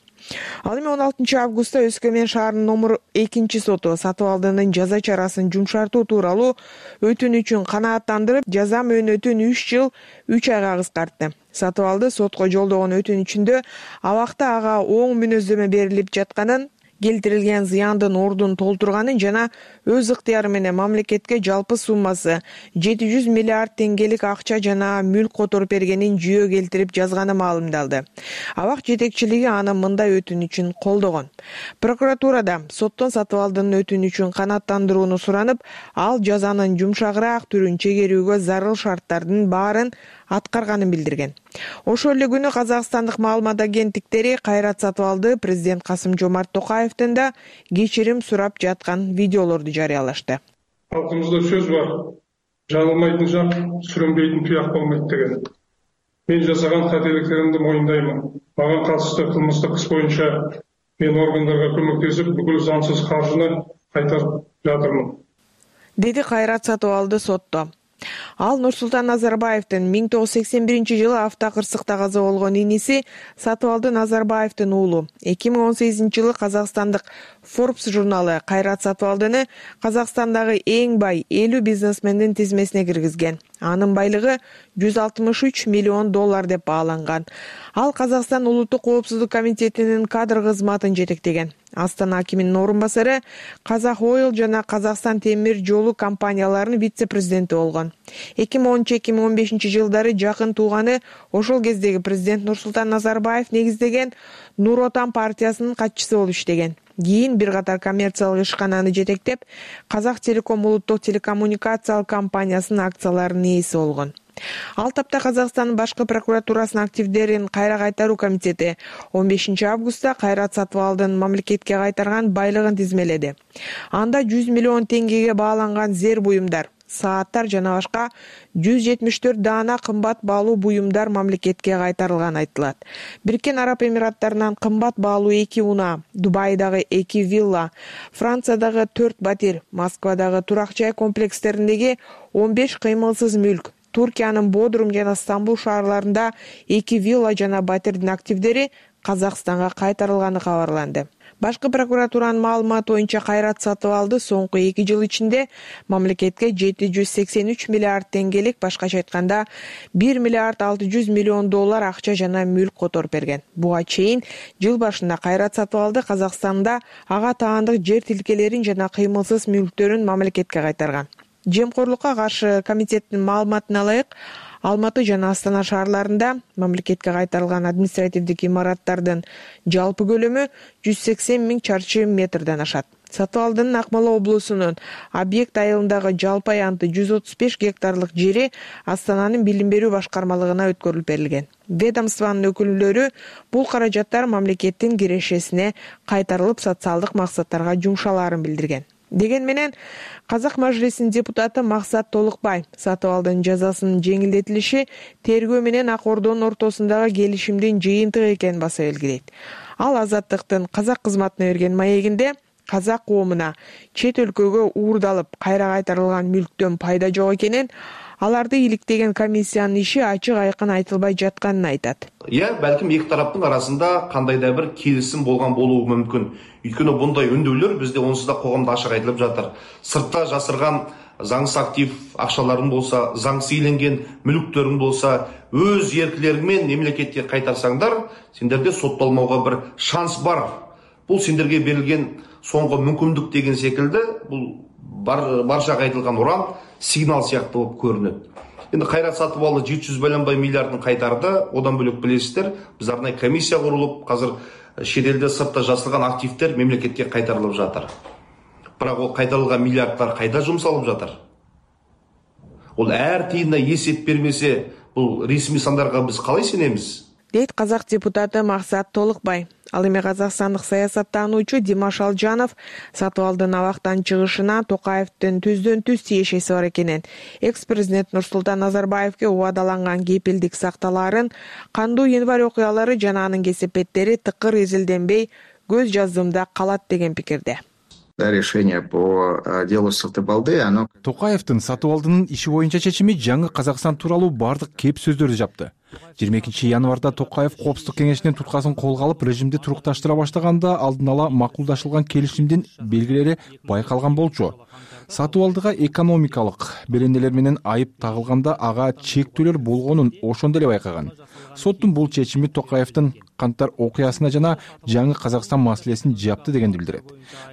Speaker 20: Ал эми он алтынчы августта Өскөмен шаарынын номер экинчи соту Сатыбалдынын жаза чарасын жумшартуу тууралуу өтүнүчүн канааттандырып, жаза мөөнөтүн үч жыл үч айга кыскартты. Сатыбалды сотко жолдогон өтүнүчүндө абакта ага оң мүнөздөмө берилип жатканын, келтирилген зыяндын ордун толтурганын жана өз ыктыяры менен мамлекетке жалпы суммасы жети жүз миллиард теңгелик акча жана мүлк которуп бергенин жүйө келтирип жазганы маалымдалды. Абак жетекчилиги анын мындай өтүнүчүн колдогон. Прокуратурада соттон Сатыбалдынын өтүнүчүн канааттандырууну суранып, ал жазанын жумшагыраак түрүн чегерүүгө зарыл шарттардын баарын аткарганын билдирген. Ошол эле күнү казакстандык маалымат агенттиктери Кайрат Сатыбалды президент Касым Жомарт Токаевден да кечирим сурап жаткан видеолорду жарыялашты.
Speaker 11: Халкыбызда сөз бар: жаңылмайтын жак, сүрөнбейтин туяк болмойт деген. Мен жасаган кателиктеримди моюндаймын. Мага катышты кылмыштык иш боюнча мен органдарга көмөктөсүп, бүкүл заңсыз каржыны кайтарып жатырмын,
Speaker 20: деди Кайрат Сатыбалды сотто. Ал Нурсултан Назарбаевдин миң тогуз жүз сексен биринчи жылы автокырсыкта каза болгон иниси Сатыбалды Назарбаевдин уулу. эки миң он сегизинчи жылы казакстандык Forbes журналы Кайрат Сатыбалдыны Казакстандагы эң бай элүү бизнесмендин тизмесине киргизген. Анын байлыгы жүз алтымыш үч миллион доллар деп бааланган. Ал Казакстан Улуттук коопсуздук комитетинин кадр кызматын жетектеген. Астана акиминин орун басары, Казак Ойл жана Казакстан темир жолу компанияларынын вице-президенти болгон. эки миң онунчу эки миң он бешинчи жылдары жакын тууганы ошол кездеги президент Нурсултан Назарбаев негиздеген Нур Отан партиясынын катчысы болуп иштеген. Кийин бир катар коммерциялык ишкананы жетектеп, Казак Телеком улуттук телекоммуникациялык компаниясынын акцияларынын ээси болгон. Ал тапта Казакстандын башкы прокуратурасынын активдерин кайра кайтаруу комитети он бешинчи августта Кайрат Сатыбалдын мамлекетке кайтарган байлыгын тизмеледи. Анда жүз миллион теңгеге бааланган зер буюмдар, сааттар жана башка жүз жетимиш төрт даана кымбат баалуу буюмдар мамлекетке кайтарылганы айтылат. Бириккен Араб Эмираттарынан кымбат баалуу эки унаа, Дубайдагы эки вилла, Франциядагы төрт батир, Москвадагы турак жай комплекстериндеги он беш кыймылсыз мүлк, Туркиянын Бодрум жана Стамбул шаарларында эки вилла жана батирдин активдери Казакстанга кайтарылганы кабарланды. Башкы прокуратуранын маалыматы боюнча Кайрат Сатыбалды соңку эки жыл ичинде мамлекетке жети жүз сексен үч миллиард теңгелик, башкача айтканда бир миллиард алты жүз миллион доллар акча жана мүлк которуп берген. Буга чейин жыл башында Кайрат Сатыбалды Казакстанда ага таандык жер тилкелерин жана кыймылсыз мүлктөрүн мамлекетке кайтарган. Жемкорлукка каршы комитеттин маалыматына ылайык, Алматы жана Астана шаарларында мамлекетке кайтарылган административдик имараттардын жалпы көлөмү жүз сексен миң чарчы метрден ашат. Сатыбалдынын Акмола облусунун объект айылындагы жалпы аянты жүз отуз беш гектарлык жери Астананын билим берүү башкармалыгына өткөрүлүп берилген. Ведомствонун өкүлдөрү бул каражаттар мамлекеттин кирешесине кайтарылып социалдык максаттарга жумшалаарын билдирген. Деген менен Казак Мажлисинин депутаты Максат Толукбай Сатыбалдын жазасынын жеңилдетилиши тергөө менен Ак Ордонун ортосундагы келишимдин жыйынтыгы экенин баса белгилейт. Ал Азаттыктын казак кызматына берген маегинде казак коомуна чет өлкөгө уурдалып кайра кайтарылган мүлктөн пайда жок экенин, аларды иликтеген комиссиянын иши ачык айкын айтылбай жатканын айтат.
Speaker 21: Иә, бәлким эки тараптын арасында кандайда бир келишим болгон болуу мүмкүн. Өйткөнү bunday өндүүлөр бизде онсуз да коомдо ачык айтылып жатыр. Сыртта жасырган заңсыз актив акчаларың болса, заңсыз ийленген мүлктөрүң болса, өз эркилериң менен мемлекетке кайтарсаңдар, сендерде соттолмоого бир шанс бар. Бул сендерге берилген соңку мүмкүндүк деген секилди, бул баршага айтылган уран сигнал сыяктуу болуп көрүнөт. Эми Кайрат Сатыбалды жети жүз байланбай миллиардын кайтарды. Одан бөлөк билесиздер, биз арнайы комиссия курулуп, азыр чет элде сыртта жасырган активдер мемлекетке кайтарылып жатыр. Бирок ол кайтарылган миллиарддар кайда жумсалып жатыр? Ол әр тыйынына эсеп бермесе, бул ресми сандарга биз калай сенемиз?
Speaker 20: Дейт казак депутаты Максат Толукбай. Ал эми казакстандык саясаттануучу Димаш Алжанов Сатыбалдын абактан чыгышына Токаевдин түздөн түз тиешеси бар экенин, экс-президент Нурсултан Назарбаевге убадаланган кепилдик сакталаарын, кандуу январь окуялары жана анын кесепеттери тыкыр изилденбей көз жаздымда калат деген пикирде.
Speaker 6: Решение по делу Сатыбалды, оно...
Speaker 22: Токаевдин Сатыбалдынын иши боюнча чечими жаңы Казакстан тууралуу бардык кеп сөздөрдү жапты. жыйырма экинчи январда Токаев Коопсуздук кеңешинин туткасын колго алып, режимди турукташтыра баштаганда алдын ала макулдашылган келишимдин белгилери байкалган болчу. Сатыбалдыга экономикалык беренелер менен айып тагылганда ага чектөөлөр болгонун ошондо эле байкаган. Соттун бул чечими Токаевдин Кантар окуясына жана жаңы Казакстан маселесин жапты дегенди билдирет.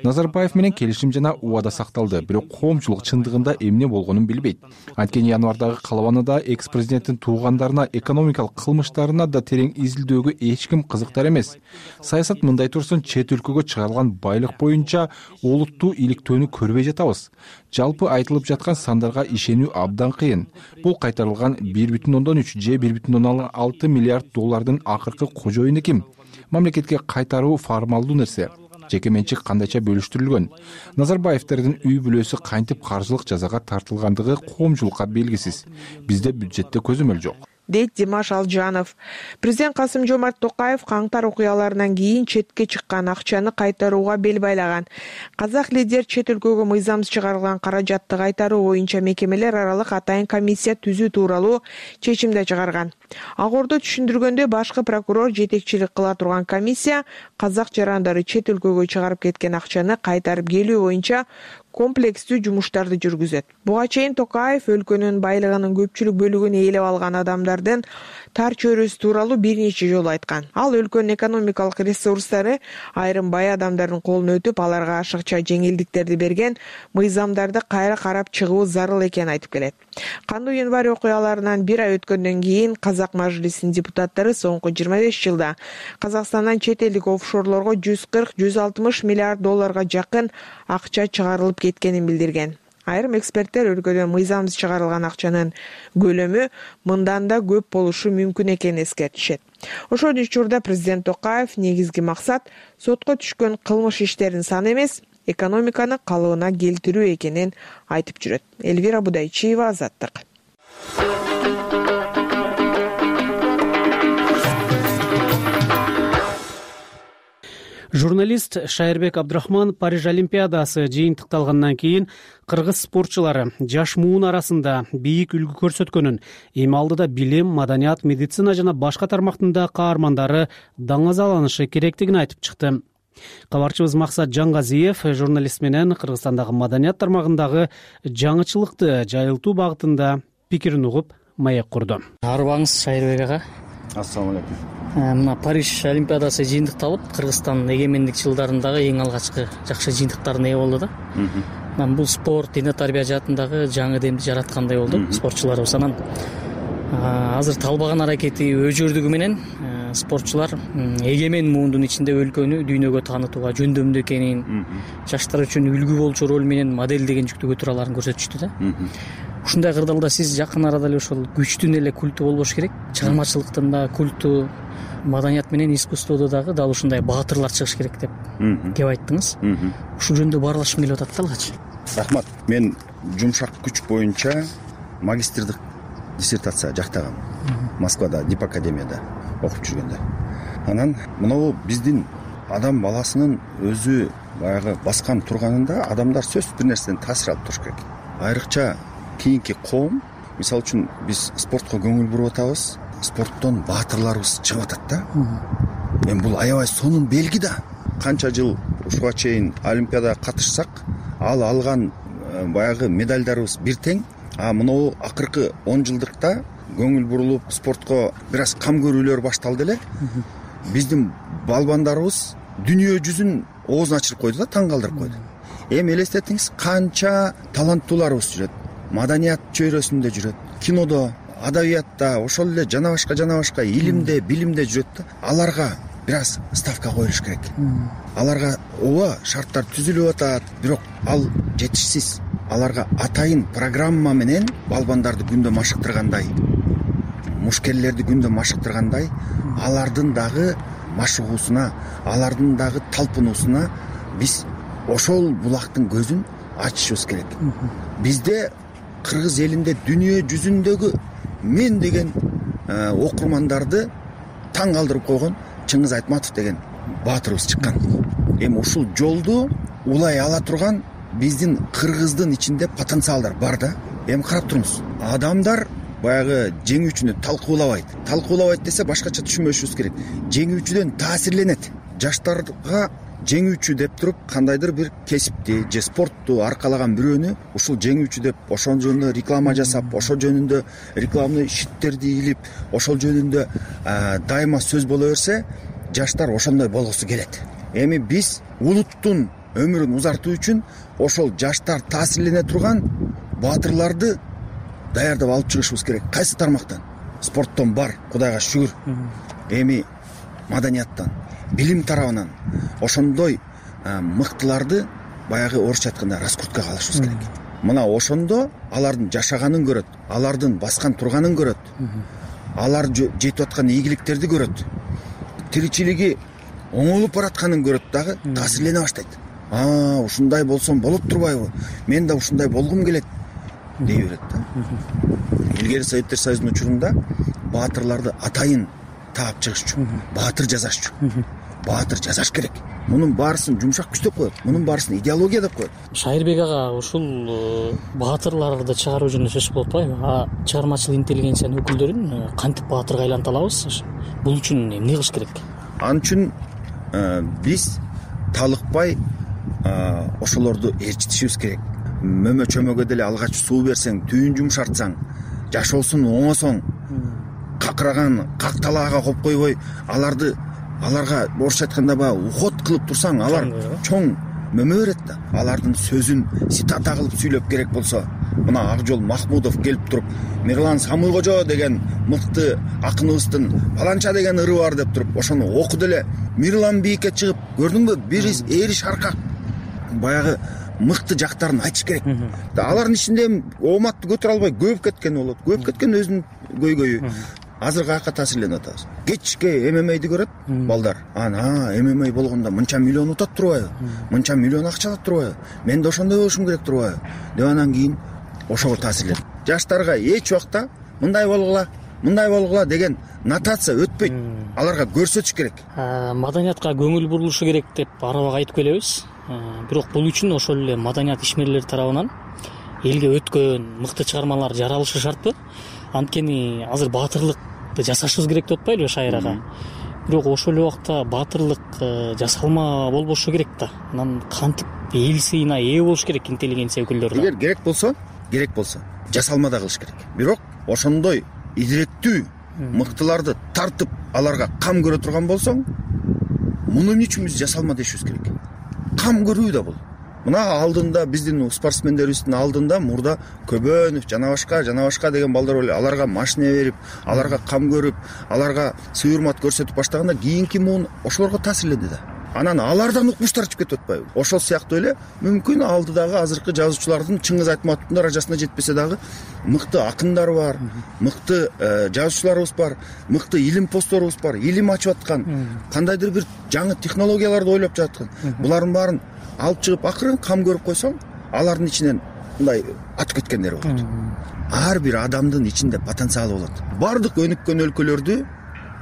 Speaker 22: Назарбаев менен келишим жана убада сакталды, бирок коомчулук чындыгында эмне болгонун билбейт. Анткени январдагы калыбанада экс-президенттин туугандарына, экономикалык кылмыштарына да терең изилдөөгө эч ким кызыктар эмес. Саясат мындай турсун, чет өлкөгө чыгарылган байлык боюнча олуттуу иликтөөнү көрбөй жатабыз. Жалпы айтылып жаткан сандарга ишенүү абдан кыйын. Бул кайтарылган бир бүтүн ондон үч же бир бүтүн ондон алты миллиард доллардын акыркы кожоюну ким? Мамлекетке кайтаруу формалдуу нерсе. Жеке менчик кандайча бөлүштүрүлгөн. Назарбаевдердин үй бүлөсү кантип каржылык жазага тартылгандыгы коомчулукка белгисиз. Бизде бюджетте көзөмөл жок.
Speaker 20: Дейт Димаш Алжанов. Президент Касым-Жомарт Токаев каңтар окуяларынан кийин четке чыккан акчаны кайтарууга бел байлаган. Казак лидер чет өлкөгө мыйзамсыз чыгарылган каражатты кайтаруу боюнча мекемелер аралык атайын комиссия түзүү тууралуу чечим да чыгарган. Агордо түшүндүргөндө, башкы прокурор жетекчилик кыла турган комиссия казак жарандары чет өлкөгө чыгарып кеткен акчаны кайтарып келүү боюнча комплекстүү жумуштарды жүргүзөт. Буга чейин Токаев өлкөнүн байлыгынын көпчүлүк бөлүгүн ээлеп алган адамдардын тар чөйрөсү тууралуу бир нече жолу айткан. Ал өлкөнүн экономикалык ресурстары айрым бай адамдардын колуна өтүп, аларга ашыкча жеңилдиктерди берген, мыйзамдарды кайра карап чыгуу зарыл экенин айтып келет. Кандуу январь окуяларынан бир ай өткөндөн кийин Казак мажлисинин депутаттары соңку жыйырма беш жылда Казакстандан чет элдик офшорлорго жүз кырк — жүз алтымыш миллиард долларга жакын акча чыгарылып кеткенин билдирген. Айрым эксперттер өлкөдөн мыйзамсыз чыгарылган акчанын көлөмү мындан да көп болушу мүмкүн экенин эскертишет. Ошол учурда президент Токаев негизги максат сотко түшкөн кылмыш иштеринин саны эмес, экономиканы калыбына келтирүү экенин айтып жүрөт. Элвира Будайчиева, Азаттык.
Speaker 2: Журналист Шайырбек Абдрахман Париж Олимпиадасы жыйынтыкталгандан кийин кыргыз спортчулары жаш муун арасында бийик үлгү көрсөткөнүн, эми алдыда билим, маданият, медицина жана башка тармактын каармандары даңазаланышы керектигин айтып чыкты. Кабарчыбыз Максат Жангазиев журналист менен Кыргызстандагы маданият тармагындагы жаңычылыкты жайылтуу багытында пикирин угуп, маек курду.
Speaker 23: Арыбаңыз Шайырбек ага.
Speaker 6: Ассаламу алейкум.
Speaker 23: Мына Париж Олимпиадасы жыйынтыкталып, Кыргызстан эгемендик жылдарындагы эң алгачкы жакшы жыйынтыктарына ээ болду да. Мен бул спорт, дине тарбия жаатындагы жаңы демди жараткандай болду спортчуларыбыз. Анан азыр талбаган аракети өжөрдүгү менен спортчулар эгемен муундун ичинде өлкөнү дүйнөгө таанытууга жөндөмдүү экенин, жаштар үчүн үлгү болчу роль менен модель деген жүктү көтөрө аларын көрсөтүштү да. Ушундай кырдаалда сиз жакын арада эле ошол күчтүн эле культу болбош керек, чыгармачылыктын да культу, маданият менен искусстводо дагы дал ушундай баатырлар чыгыш керек деп кеп айттыңыз. Ушул жөнүндө баарлашкым келип атат да алгач.
Speaker 24: Рахмат. Мен жумшак күч боюнча магистрдик диссертация жактагам. Москвада, Дип академияда окуп жүргөндө. Анан мынау биздин адам баласынын өзү баягы баскан турганында адамдар сөзсүз бир нерседен таасир алып туруш керек. Айрыкча кийинки коом, мисалы үчүн биз спортко көңүл буруп атабыз, спорттон баатырларыбыз чыгып атат да. Мен бул аябай сонун белги да. Канча жыл ушуга чейин Олимпиадага катышсак, ал алган баягы медальдарыбыз бир тең, а мынау акыркы он жылдыкта көңүл бурулуп спортко бир аз кам көрүүлөр башталды эле. Биздин балбандарыбыз дүйнө жүзүн оозун ачырып койду да, таң калтырып койду. эми элестетиңиз, канча таланттууларыбыз жүрөт, маданият чөйрөсүндө жүрөт, кинодо, адабиятта, ошол эле жана башка жана башка илимде, билимде жүрөт да. Аларга бир аз ставка коюлуш керек. Аларга ооба шарттар түзүлүп атат, бирок ал жетишсиз. Аларга атайын программа менен балбандарды күндө машыктыргандай, мушкерлерди күндө машыктыргандай, алардын дагы машыгуусуна, алардын дагы талпынуусуна биз ошол булактын көзүн ачышыбыз керек. Бизде кыргыз элинде дүйнө жүзүндөгү мен деген окурмандарды таң калтырып койгон Чыңгыз Айтматов деген баатырыбыз чыккан. Эми ушул жолду улай ала турган биздин кыргыздын ичинде потенциалдар бар да. Эми карап туруңуз. Адамдар баягы жеңүүчүнү талкуулабайт. Талкуулабайт десе башкача түшүнбөшүбүз керек. Жеңүүчүдөн таасирленет. Жаштарга жеңүүчү деп туруп кандайдыр бир кесипти же спортту аркалаган бирөөнү ушул жеңүүчү деп ошол жөнүндө реклама жасап, ошол жөнүндө рекламный щиттерди илип, ошол жөнүндө дайыма сөз боло берсе, жаштар ошондой болгусу келет. Эми биз улуттун өмүрүн узартуу үчүн ошол жаштар таасирлене турган баатырларды даярдап алып чыгышыбыз керек. Кайсы тармактан? Спорттон бар, Кудайга шүгүр. Эми маданияттан, билим тарабынан ошондой мыктыларды баягы орусча айтканда раскруткага алышыбыз керек. Мына ошондо алардын жашаганын көрөт, алардын баскан турганын көрөт, алар жетип аткан ийгиликтерди көрөт, тиричилиги оңолуп баратканын көрөт дагы таасирлене баштайт. А, ушундай болсом болот турбайбы? Мен да ушундай болгум келет дей берет да. Илгери Советтер Союзунун учурунда баатырларды атайын таап чыгышчу, баатыр жасашчу. Баатыр жасаш керек. Мунун баарысын жумшак күч деп коет, мунун баарысын идеология деп коет.
Speaker 23: Шайырбек ага, ушул баатырларды чыгаруу жөнүндө сөз болуп атпайбы? А чыгармачыл интеллигенциянын өкүлдөрүн кантип баатырга айлантып алабыз? Бул үчүн эмне кылыш керек?
Speaker 24: Ал үчүн биз талыкпай ошолорду ээрчитишибиз керек. Мөмө чөмөгө деле алгач суу берсең, түйүн жумшартсаң, жашоосун оңосоң, какыраган какталаага коюп койбой, аларды аларга орусча айтканда баягы уход кылып турсаң, алар чоң мөмө берет да. Алардын сөзүн цитата кылып сүйлөп керек болсо, мына Акжол Махмудов келип туруп, Мирлан Самуйкожо деген мыкты акыныбыздын баланча деген ыры бар деп туруп, ошону окуду эле Мирлан бийикке чыгып, көрдүңбү, бир эриш аркак баягы мыкты жактарын айтыш керек. Алардын ичинде ооматты көтөрө албай көбүп кеткен болот. Көбүп кеткен өзүнүн көйгөйү. Азыр каяка таасирленип атабыз. Кечке эм эм эйди көрөт балдар. Ана эм эм эй болгондо мынча миллион утат турбайбы? Мынча миллион акча алат турбайбы? Мен да ошондой болушум керек турбайбы? Деп анан кийин ошого таасирленет. Жаштарга эч убакта мындай болгула, мындай болгула деген нотация өтпөйт. Аларга көрсөтүш керек.
Speaker 23: Маданиятка көңүл бурулушу керек деп арабак айтып келебиз. Бирок бул үчүн ошол эле маданият ишмерлери тарабынан элге өткөн мыкты чыгармалар жаралышы шартпы? Анткени азыр баатырлыкты жасашыбыз керек деп атпайлыбы Шайыр ага? Бирок ошол эле убакта баатырлык жасалма болбошу керек да. Анан кантип эл сыйына ээ болуш керек интеллигенция өкүлдөрү?
Speaker 24: Эгер керек болсо, керек болсо жасалма да кылыш керек. Бирок ошондой идиреттүү мыктыларды тартып аларга кам көрө турган болсоң, муну эмне үчүн биз жасалма дешибиз керек? Кам көрүү да бул. Мына алдында биздин спортсмендерибиздин алдында мурда Көбөнов, жана башка, жана башка деген балдар эле аларга машина берип, аларга кам көрүп, аларга сый урмат көрсөтүп баштаганда кийинки муун ошолорго таасирленди да. Анан алардан укмуштар чыгып кетип атпайбы? Ошол сыяктуу эле мүмкүн алдыдагы азыркы жазуучулардын Чыңгыз Айтматовдун даражасына жетпесе дагы мыкты акындар бар, мыкты жазуучуларыбыз бар, мыкты илим постторубуз бар, илим ачып аткан, кандайдыр бир жаңы технологияларды ойлоп жаткан. Булардын баарын алып чыгып акырын кам көрүп койсоң, алардын ичинен мындай атып кеткендер болот. Ар бир адамдын ичинде потенциалы болот. Бардык өнүккөн өлкөлөрдү,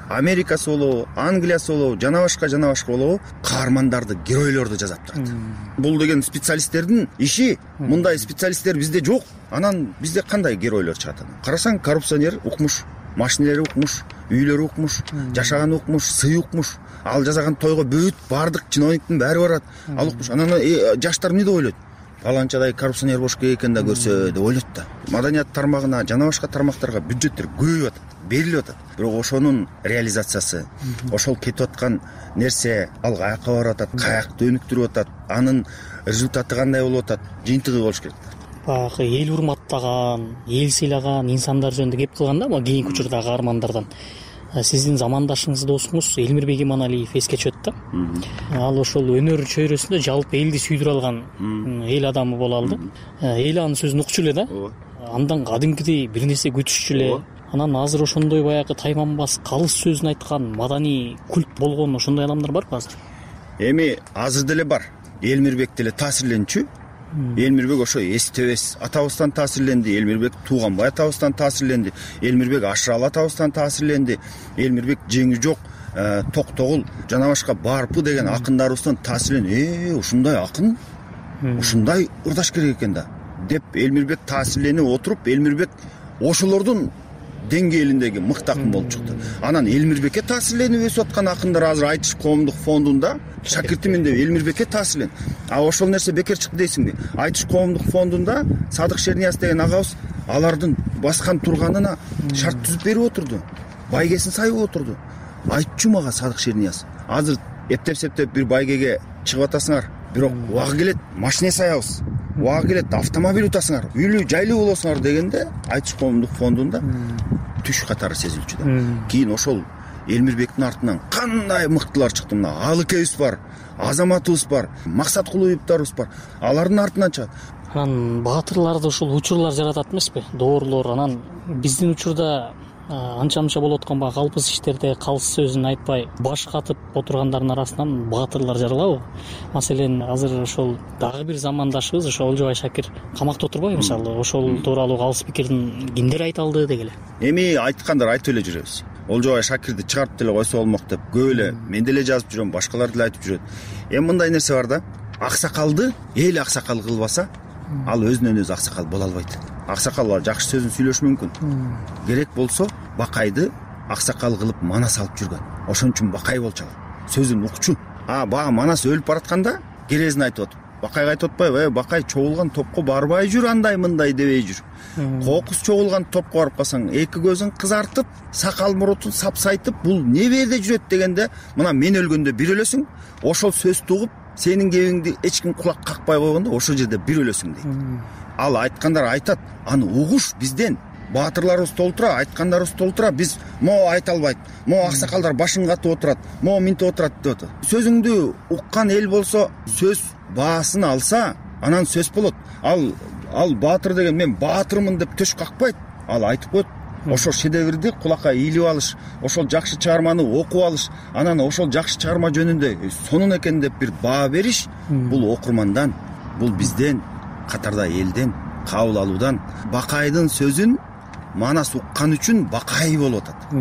Speaker 24: Америкасы болобу, Англиясы болобу, жана башка жана башка болобу, каармандарды, геройлорду жазап турат. Бул деген специалисттердин иши. Мындай специалисттер бизде жок. Анан бизде кандай геройлор чыгат анан? Карасаң, коррупционер укмуш, машинелери укмуш, үйлөрү укмуш, жашаганы укмуш, сый укмуш. Ал жасаган тойго бүт бардык чиновниктин баары барат. Ал укмуш. Анан жаштар эмне деп ойлойт? Паланчадай коррупционер болуш керек экен да көрсө деп ойлойт да. Маданият тармагына, жана башка тармактарга бюджеттер көбөйүп атат. берилип атат, бирок ошонун реализациясы, ошол кетип аткан нерсе ал каяка барып атат, каякты өнүктүрүп атат, анын результаты кандай болуп атат, жыйынтыгы болуш керек.
Speaker 23: Баягы эл урматтаган, эл сыйлаган инсандар жөнүндө кеп кылганда, могу кийинки учурдагы каармандардан сиздин замандашыңыз, досуңуз Элмирбек Иманалиев эске түшөт да. Ал ошол өнөр чөйрөсүндө жалпы элди сүйдүрө алган эл адамы боло алды. Эл анын сөзүн укчу эле да. Андан кадимкидей бир нерсе күтүшчү эле. Анан азыр ошондой баягы тайманбас калыс сөзүн айткан, маданий культ болгон ошондой адамдар барбы азыр?
Speaker 24: Эми азыр деле бар. Элмирбек деле таасирленчү. Элмирбек ошо эстебес атабыздан таасирленди, Элмирбек Тууганбай атабыздан таасирленди, Элмирбек Ашыралы атабыздан таасирленди, Элмирбек Жеңи жок, Токтогул жана башка Барпы деген акындарыбыздан таасирленди. Э, ушундай акын, ушундай ырдаш керек экен да деп Элмирбек таасирленип отуруп, Элмирбек ошолордун деңгээлиндеги мыкты акын болуп чыкты. Анан Элмирбекке таасирленип өсүп аткан акындар азыр Айтыш коомдук фондунда шакиртимин деп Элмирбекке таасирлен. А ошол нерсе бекер чыкты дейсиңби? Айтыш коомдук фондунда Садык Шернияз деген агабыз алардын баскан турганына шарт түзүп берип отурду. Байгесин сайып отурду. Айтчу мага Садык Шернияз, азыр эптеп-септеп бир байгеге чыгып атасыңар, бирок убагы келет машина саябыз, убагы келет автомобиль утасыңар, үйлүү жайлуу болосуңар дегенде Айтыш коомдук фондунда түш катары сезилчү да. Кийин ошол Элмирбектин артынан кандай мыктылар чыкты. Мына Алыкебиз бар, Азаматыбыз бар, Максат Кулуевдарыбыз бар. Алардын артынан чыгат.
Speaker 23: Анан баатырларды ушул учурлар жаратат эмеспи? Доорлор. Анан биздин учурда анча-мынча болуп аткан баягы калпыс иштерде калыс сөзүн айтпай баш катып отургандарынын арасынан баатырлар жаралабы? Маселен, азыр ошол дагы бир замандашыбыз ошо Олжобай Шакир камакта отурбайбы? Мисалы, ошол тууралуу калыс пикирин кимдер айта алды дегеле.
Speaker 24: Эми айткандар айтып эле жүрөбүз. Олжобай Шакирди чыгарып деле койсо болмок деп көп эле мен деле жазып жүрөм, башкалар деле айтып жүрөт. Эми мындай нерсе бар да. Аксакалды эл аксакал кылбаса, ал өзүнөн өзү аксакал боло албайт. Аксакал жакшы сөзүн сүйлөшү мүмкүн. Керек болсо Бакайды аксакал кылып Манас алып жүргөн. Ошон үчүн Бакай болчу. Сөзүн укчу. А бага Манас өлүп баратканда керезин айтып атып, Бакайга айтып атпайбы? Э, Бакай чогулган топко барбай жүр, андай мындай дебей жүр. Кокус чогулган топко барып калсаң, эки көзүң кызартып, сакал мурутун сапсайтып, бул не берде жүрөт дегенде, мына мен өлгөндө бир өлөсүң, ошол сөздү угуп, сенин кебиңди эч ким кулак какпай койгондо ошол жерде бир өлөсүң дейт. Ал айткандар айтат, аны угуш бизден. Баатырларыбыз толтура, айткандарыбыз толтура, биз могу айта албайт. Могу аксакалдар башын катып отурат, могу минтип отурат деп атат. Сөзүңдү уккан эл болсо, сөз баасын алса, анан сөз болот. Ал ал баатыр деген мен баатырмын деп төш какпайт. Ал айтып коет. Ошол шедеврди кулакка ийилип алыш, ошол жакшы чыгарманы окуп алыш, анан ошол жакшы чыгарма жөнүндө сонун экен деп бир баа бериш, бул окурмандан, бул бизден, катарда элден кабыл алуудан. Бакайдын сөзүн Манас уккан үчүн Бакай болуп атат.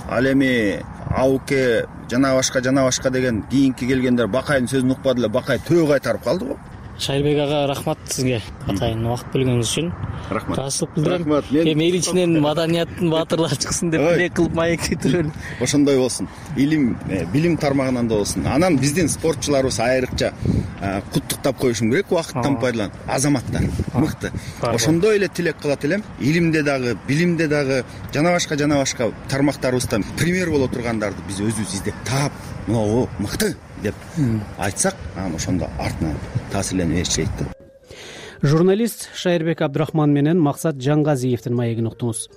Speaker 24: Ал эми Ауке жана башка жана башка деген кийинки келгендер Бакайдын сөзүн укпады эле, Бакай төө кайтарып калды го.
Speaker 23: Шайырбек ага, рахмат сизге атайын убакыт бөлгөнүңүз үчүн.
Speaker 24: Рахмат.
Speaker 23: Таасырып билдирем. Эми эл ичинен маданияттын баатырлары чыксын деп тилек кылып маектей турелу.
Speaker 24: Ошондой болсун. Илим, билим тармагынан да болсун. Анан биздин спортчуларыбыз айрыкча куттуктап коюшум керек, убакыттан пайдаланып. Азаматтар мыкты. Ошондой эле тилек кылат элем. Илимде дагы, билимде дагы жана башка жана башка тармактарыбыздан пример боло тургандарды биз өзүбүз издеп таап, могу мыкты деп айтсак, анан ошондо артынан таасирленип эшчейт да.
Speaker 2: Журналист Шайырбек Абдрахман менен Максат Жаңгазиевдин маегин уктуңуз.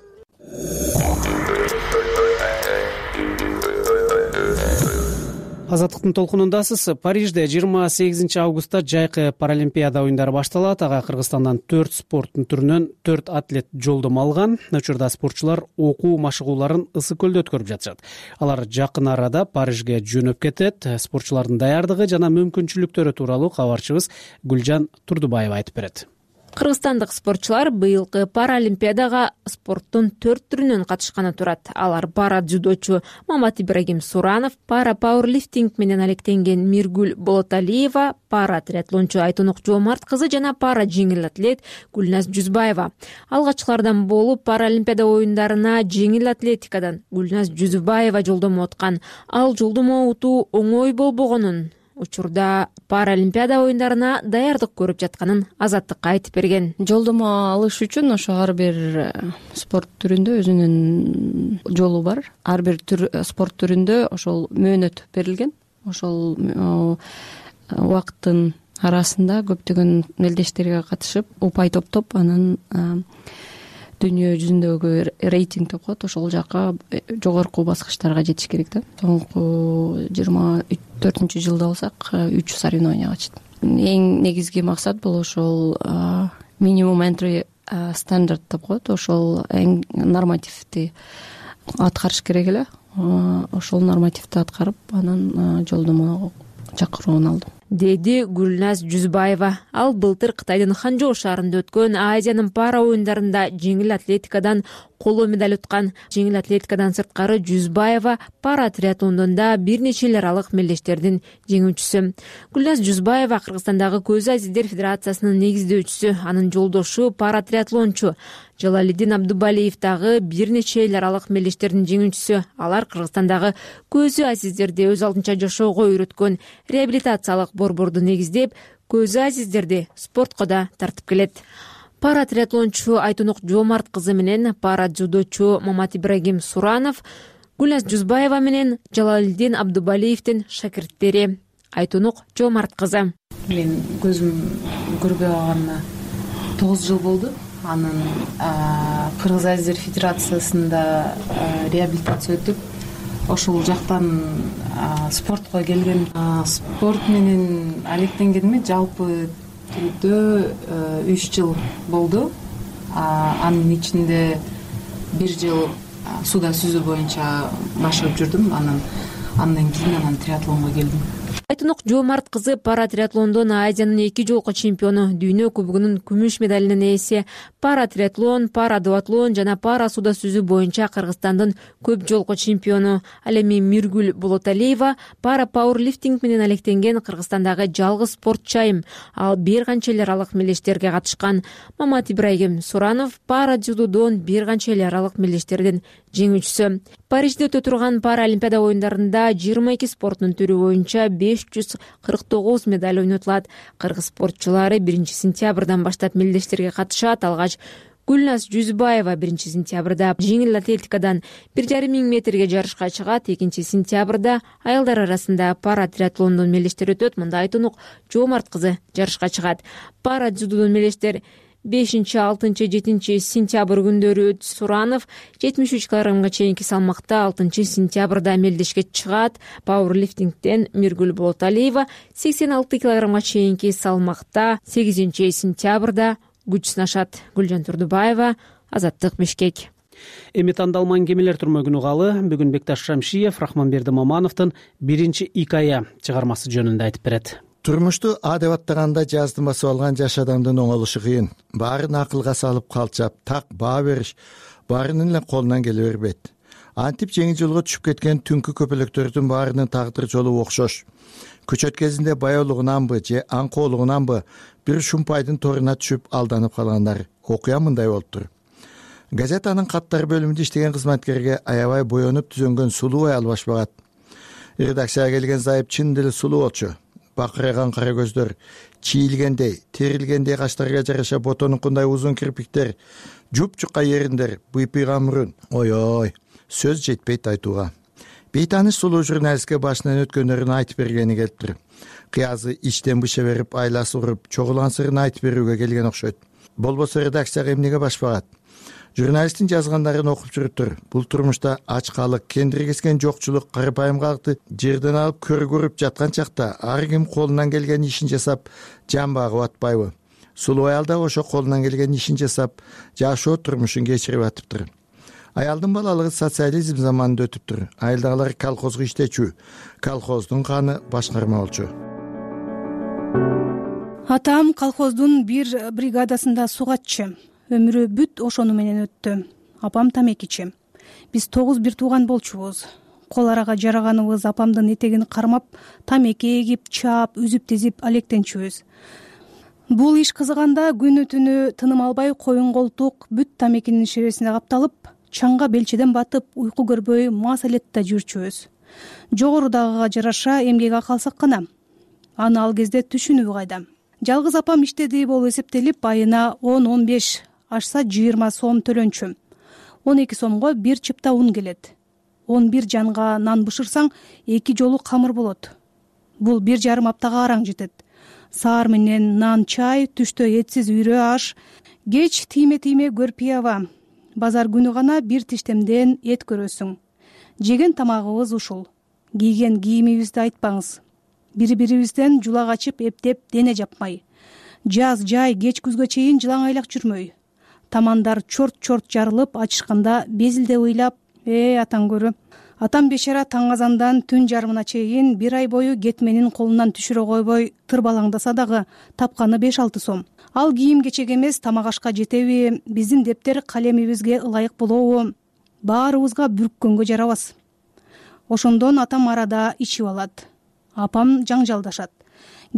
Speaker 2: Азаттыктын толкунундасыз. Парижде жыйырма сегизинчи августта жайкы паралимпиада оюндары башталат. Ага Кыргызстандан төрт спорттун түрүнөн төрт атлет жолдомо алган. Учурда спортчулар окуу машыгууларын Ысык көлдө өткөрүп жатышат. Алар жакын арада Парижге жөнөп кетет. Спортчулардын даярдыгы жана мүмкүнчүлүктөрү тууралуу кабарчыбыз Гүлжан Турдубаева айтып берет.
Speaker 3: Кыргызстандык спортчулар быйылкы паралимпиадага спорттун төрт түрүнөн катышканы турат. Алар пара дзюдочу Мамат Ибрагим Суранов, пара пауэрлифтинг менен алектенген Миргүл Болоталиева, пара триатлончу Айтонук Жоомарт кызы жана пара жеңил атлет Гүлназ Жүзбаева. Алгачкылардан болуп паралимпиада оюндарына жеңил атлетикадан Гүлназ Жүзбаева жолдомо уткан. Ал жолдомо утуу оңой болбогонун учурда Паралимпиада оюндарына даярдык көрүп жатканын Азаттыкка айтып берген.
Speaker 7: Жолдомо алыш үчүн ошо ар бир спорт түрүндө өзүнүн жолу бар. Ар бир спорт түрүндө ошол мөөнөт берилген. Ошол убакыттын арасында көптөгөн мелдештерге катышып, упай топтоп, анан дүйнө жүзүндөгү рейтинг деп коет, ошол жака жогорку баскычтарга жетиш керек да. Соңку жыйырма төртүнчү жылда болсак үч соревнованияга чыктым. Эң негизги максат бул ошол минимум entry стандарт деп коет, ошол эң нормативди аткарыш керек эле. Ошол нормативди аткарып, анан жолдомо чакыруун алдым,
Speaker 3: деди Гүлназ Жүзбаева. Ал былтыр Кытайдын Ханчжоу шаарында өткөн Азиянын пара оюндарында жеңил атлетикадан коло медаль уткан. Жеңил атлетикадан сырткары Жүзбаева пара триатлондон да бир нече эл аралык мелдештердин жеңүүчүсү. Гүлназ Жүзбаева Кыргызстандагы Көз азиздер федерациясынын негиздөөчүсү, анын жолдошу пара триатлончу Жалалиддин Абдубалиев дагы бир нече эл аралык мелдештердин жеңүүчүсү. Алар Кыргызстандагы Көзү азиздерди өз алдынча жашоого үйрөткөн реабилитациялык борборду негиздеп, Көзү азиздерди спортко да тартып келет. Пара триатлончу Айтунук Жоомарт кызы менен пара дзюдочу Мамат Ибрагим Суранов Гүлназ Жүзбаева менен Жалалиддин Абдубалиевдин шакирттери. Айтунук Жоомарт кызы:
Speaker 8: Мен көзүм көрбөй калганына тогуз жыл болду. Анан Кыргыз азиздер федерациясында реабилитация өтүп, ошол жактан спортко келген. Спорт менен алектенгениме жалпы түрдө үч жыл болду. Анын ичинде бир жыл сууда сүзүү боюнча башкарып жүрдүм. Анан андан кийин анан триатлонго келдим.
Speaker 3: Айтунук Жоомарт кызы пара триатлондон Азиянын эки жолку чемпиону, дүйнө кубогунун күмүш медалинин ээси. Пара триатлон, пара дуатлон жана пара сууда сүзүү боюнча Кыргызстандын көп жолку чемпиону. Ал эми Миргүл Болоталиева пара пауэрлифтинг менен алектенген Кыргызстандагы жалгыз спортчу айым. Ал бир канча эл аралык мелдештерге катышкан. Мамат Ибрагим Суранов пара дзюдодон бир канча эл аралык мелдештердин жеңүүчүсү. Парижде өтө турган Паралимпиада оюндарында жыйырма эки спорттун түрү боюнча беш жүз кырк тогуз медаль ойнотулат. Кыргыз спортчулары биринчи сентябрдан баштап мелдештерге катышат. Алгач Гүлназ Жүзбаева биринчи сентябрда жеңил атлетикадан бир жарым миң метрге жарышка чыгат. экинчи сентябрда аялдар арасында пара триатлондон мелдештер өтөт. Мында Айтунук Жоомарт кызы жарышка чыгат. Пара дзюдодон мелдештер бешинчи, алтынчы, жетинчи сентябрь күндөрү Суранов жетимиш үч килограммга чейинки салмакта алтынчы сентябрда мелдешке чыгат. Пауэрлифтингден Миргүл Болоталиева сексен алты килограммга чейинки салмакта сегизинчи сентябрда күч сынашат. Гүлжан Турдубаева, Азаттык, Бишкек.
Speaker 2: Эми тандалман кемелер турмөгүнү калы бүгүн Бекташ Шамшиев Рахманберди Мамановдун биринчи икая чыгармасы жөнүндө айтып берет.
Speaker 9: Турмушту А деп аттаганда жаздын басып алган жаш адамдын оңолушу кыйын. Баарын акылга салып калчап, так баа бериш баарынын эле колунан келе бербейт. Антип жеңил жолго түшүп кеткен түнкү көпөлөктөрдүн баарынын тагдыр жолу окшош. Көчөт кезинде баяулугунанбы же аңкоолугунанбы бир шумпайдын торуна түшүп алданып калгандар. Окуя мындай болуптур. Газетанын каттар бөлүмүндө иштеген кызматкерге аябай боенуп түзөнгөн сулуу аял баш багат. Редакцияга келген зайып чын деле сулуу болчу. Бакырайган кара көздөр, чийилгендей, терилгендей каштарга жараша ботонукундай узун кирпиктер, жуп-жука ериндер, быйпыйган мурун. Ой-ой, сөз жетпейт айтууга. Бейтаныш сулуу журналистке башынан өткөндөрүн айтып бергени келиптир. Кыязы ичтен быша берип, айласы уруп, чогулган сырын айтып берүүгө келген окшойт. Болбосо редакцияга эмнеге баш багат? Журналисттин жазгандарын окуп жүрүптүр. Бул турмушта ачкалык, кендиргескен жокчулук, карапайымгалыкты жерден алып көрүп көрүп жаткан чакта ар ким колунан келген ишин жасап, жан багып атпайбы? Сулуу аял да ошо колунан келген ишин жасап, жашоо турмушун кечирип атыптыр. Аялдын балалыгы социализм заманында өтүптүр. Айылдагылар колхозго иштечү, колхоздун каны башкарма болчу.
Speaker 10: Атам колхоздун бир бригадасында сугатчы. Өмүрү бүт ошону менен өттү. Апам тамекичи. Биз тогуз бир тууган болчубуз. Кол арага жараганыбыз апамдын этегин кармап, тамеки эгип, чаап, үзүп-тизип алектенчүбүз. Бул иш кызыганда күнү түнү тыным албай коюн колтук бүт тамекинин шересине капталып, чаңга белчеден батып, уйку көрбөй мас алетте жүрчүбүз. Жогорудагыга жараша эмгек акы алсак гана. аны ал кезде түшүнүү кайда. Жалгыз апам иштеди болуп эсептелип айына он он беш ашса жыйырма сом төлөнчү. он эки сомго бир чыпта ун келет. он бир жанга нан бышырсаң эки жолу камыр болот. Бул бир жарым аптага араң жетет. Саар менен нан чай, түштө этсиз үйрө аш, кеч тийме-тийме көрпиява. Базар күнү гана бир тиштемден эт көрөсүң. Жеген тамагыбыз ушул. Кийген кийимибизди айтпаңыз. Бири-бирибизден жулак ачып эптеп дене жапмай. Жаз, жай, кеч күзгө чейин жылаң айлак жүрмөй. Тамандар чорт-чорт жарылып ачышканда безилде ыйлап, э атаң көрү. Атам бешара таң азандан түн жарымына чейин бир ай бою кетменин колунан түшүрө койбой тырбалаңдаса дагы тапканы беш алты сом. Ал кийим-кечек эмес, тамак ашка жетеби, биздин дептер калемибизге ылайык болобу? Баарыбызга бүрккөнгө жарабас. Ошондон атам арада ичип алат. Апам жаңжалдашат.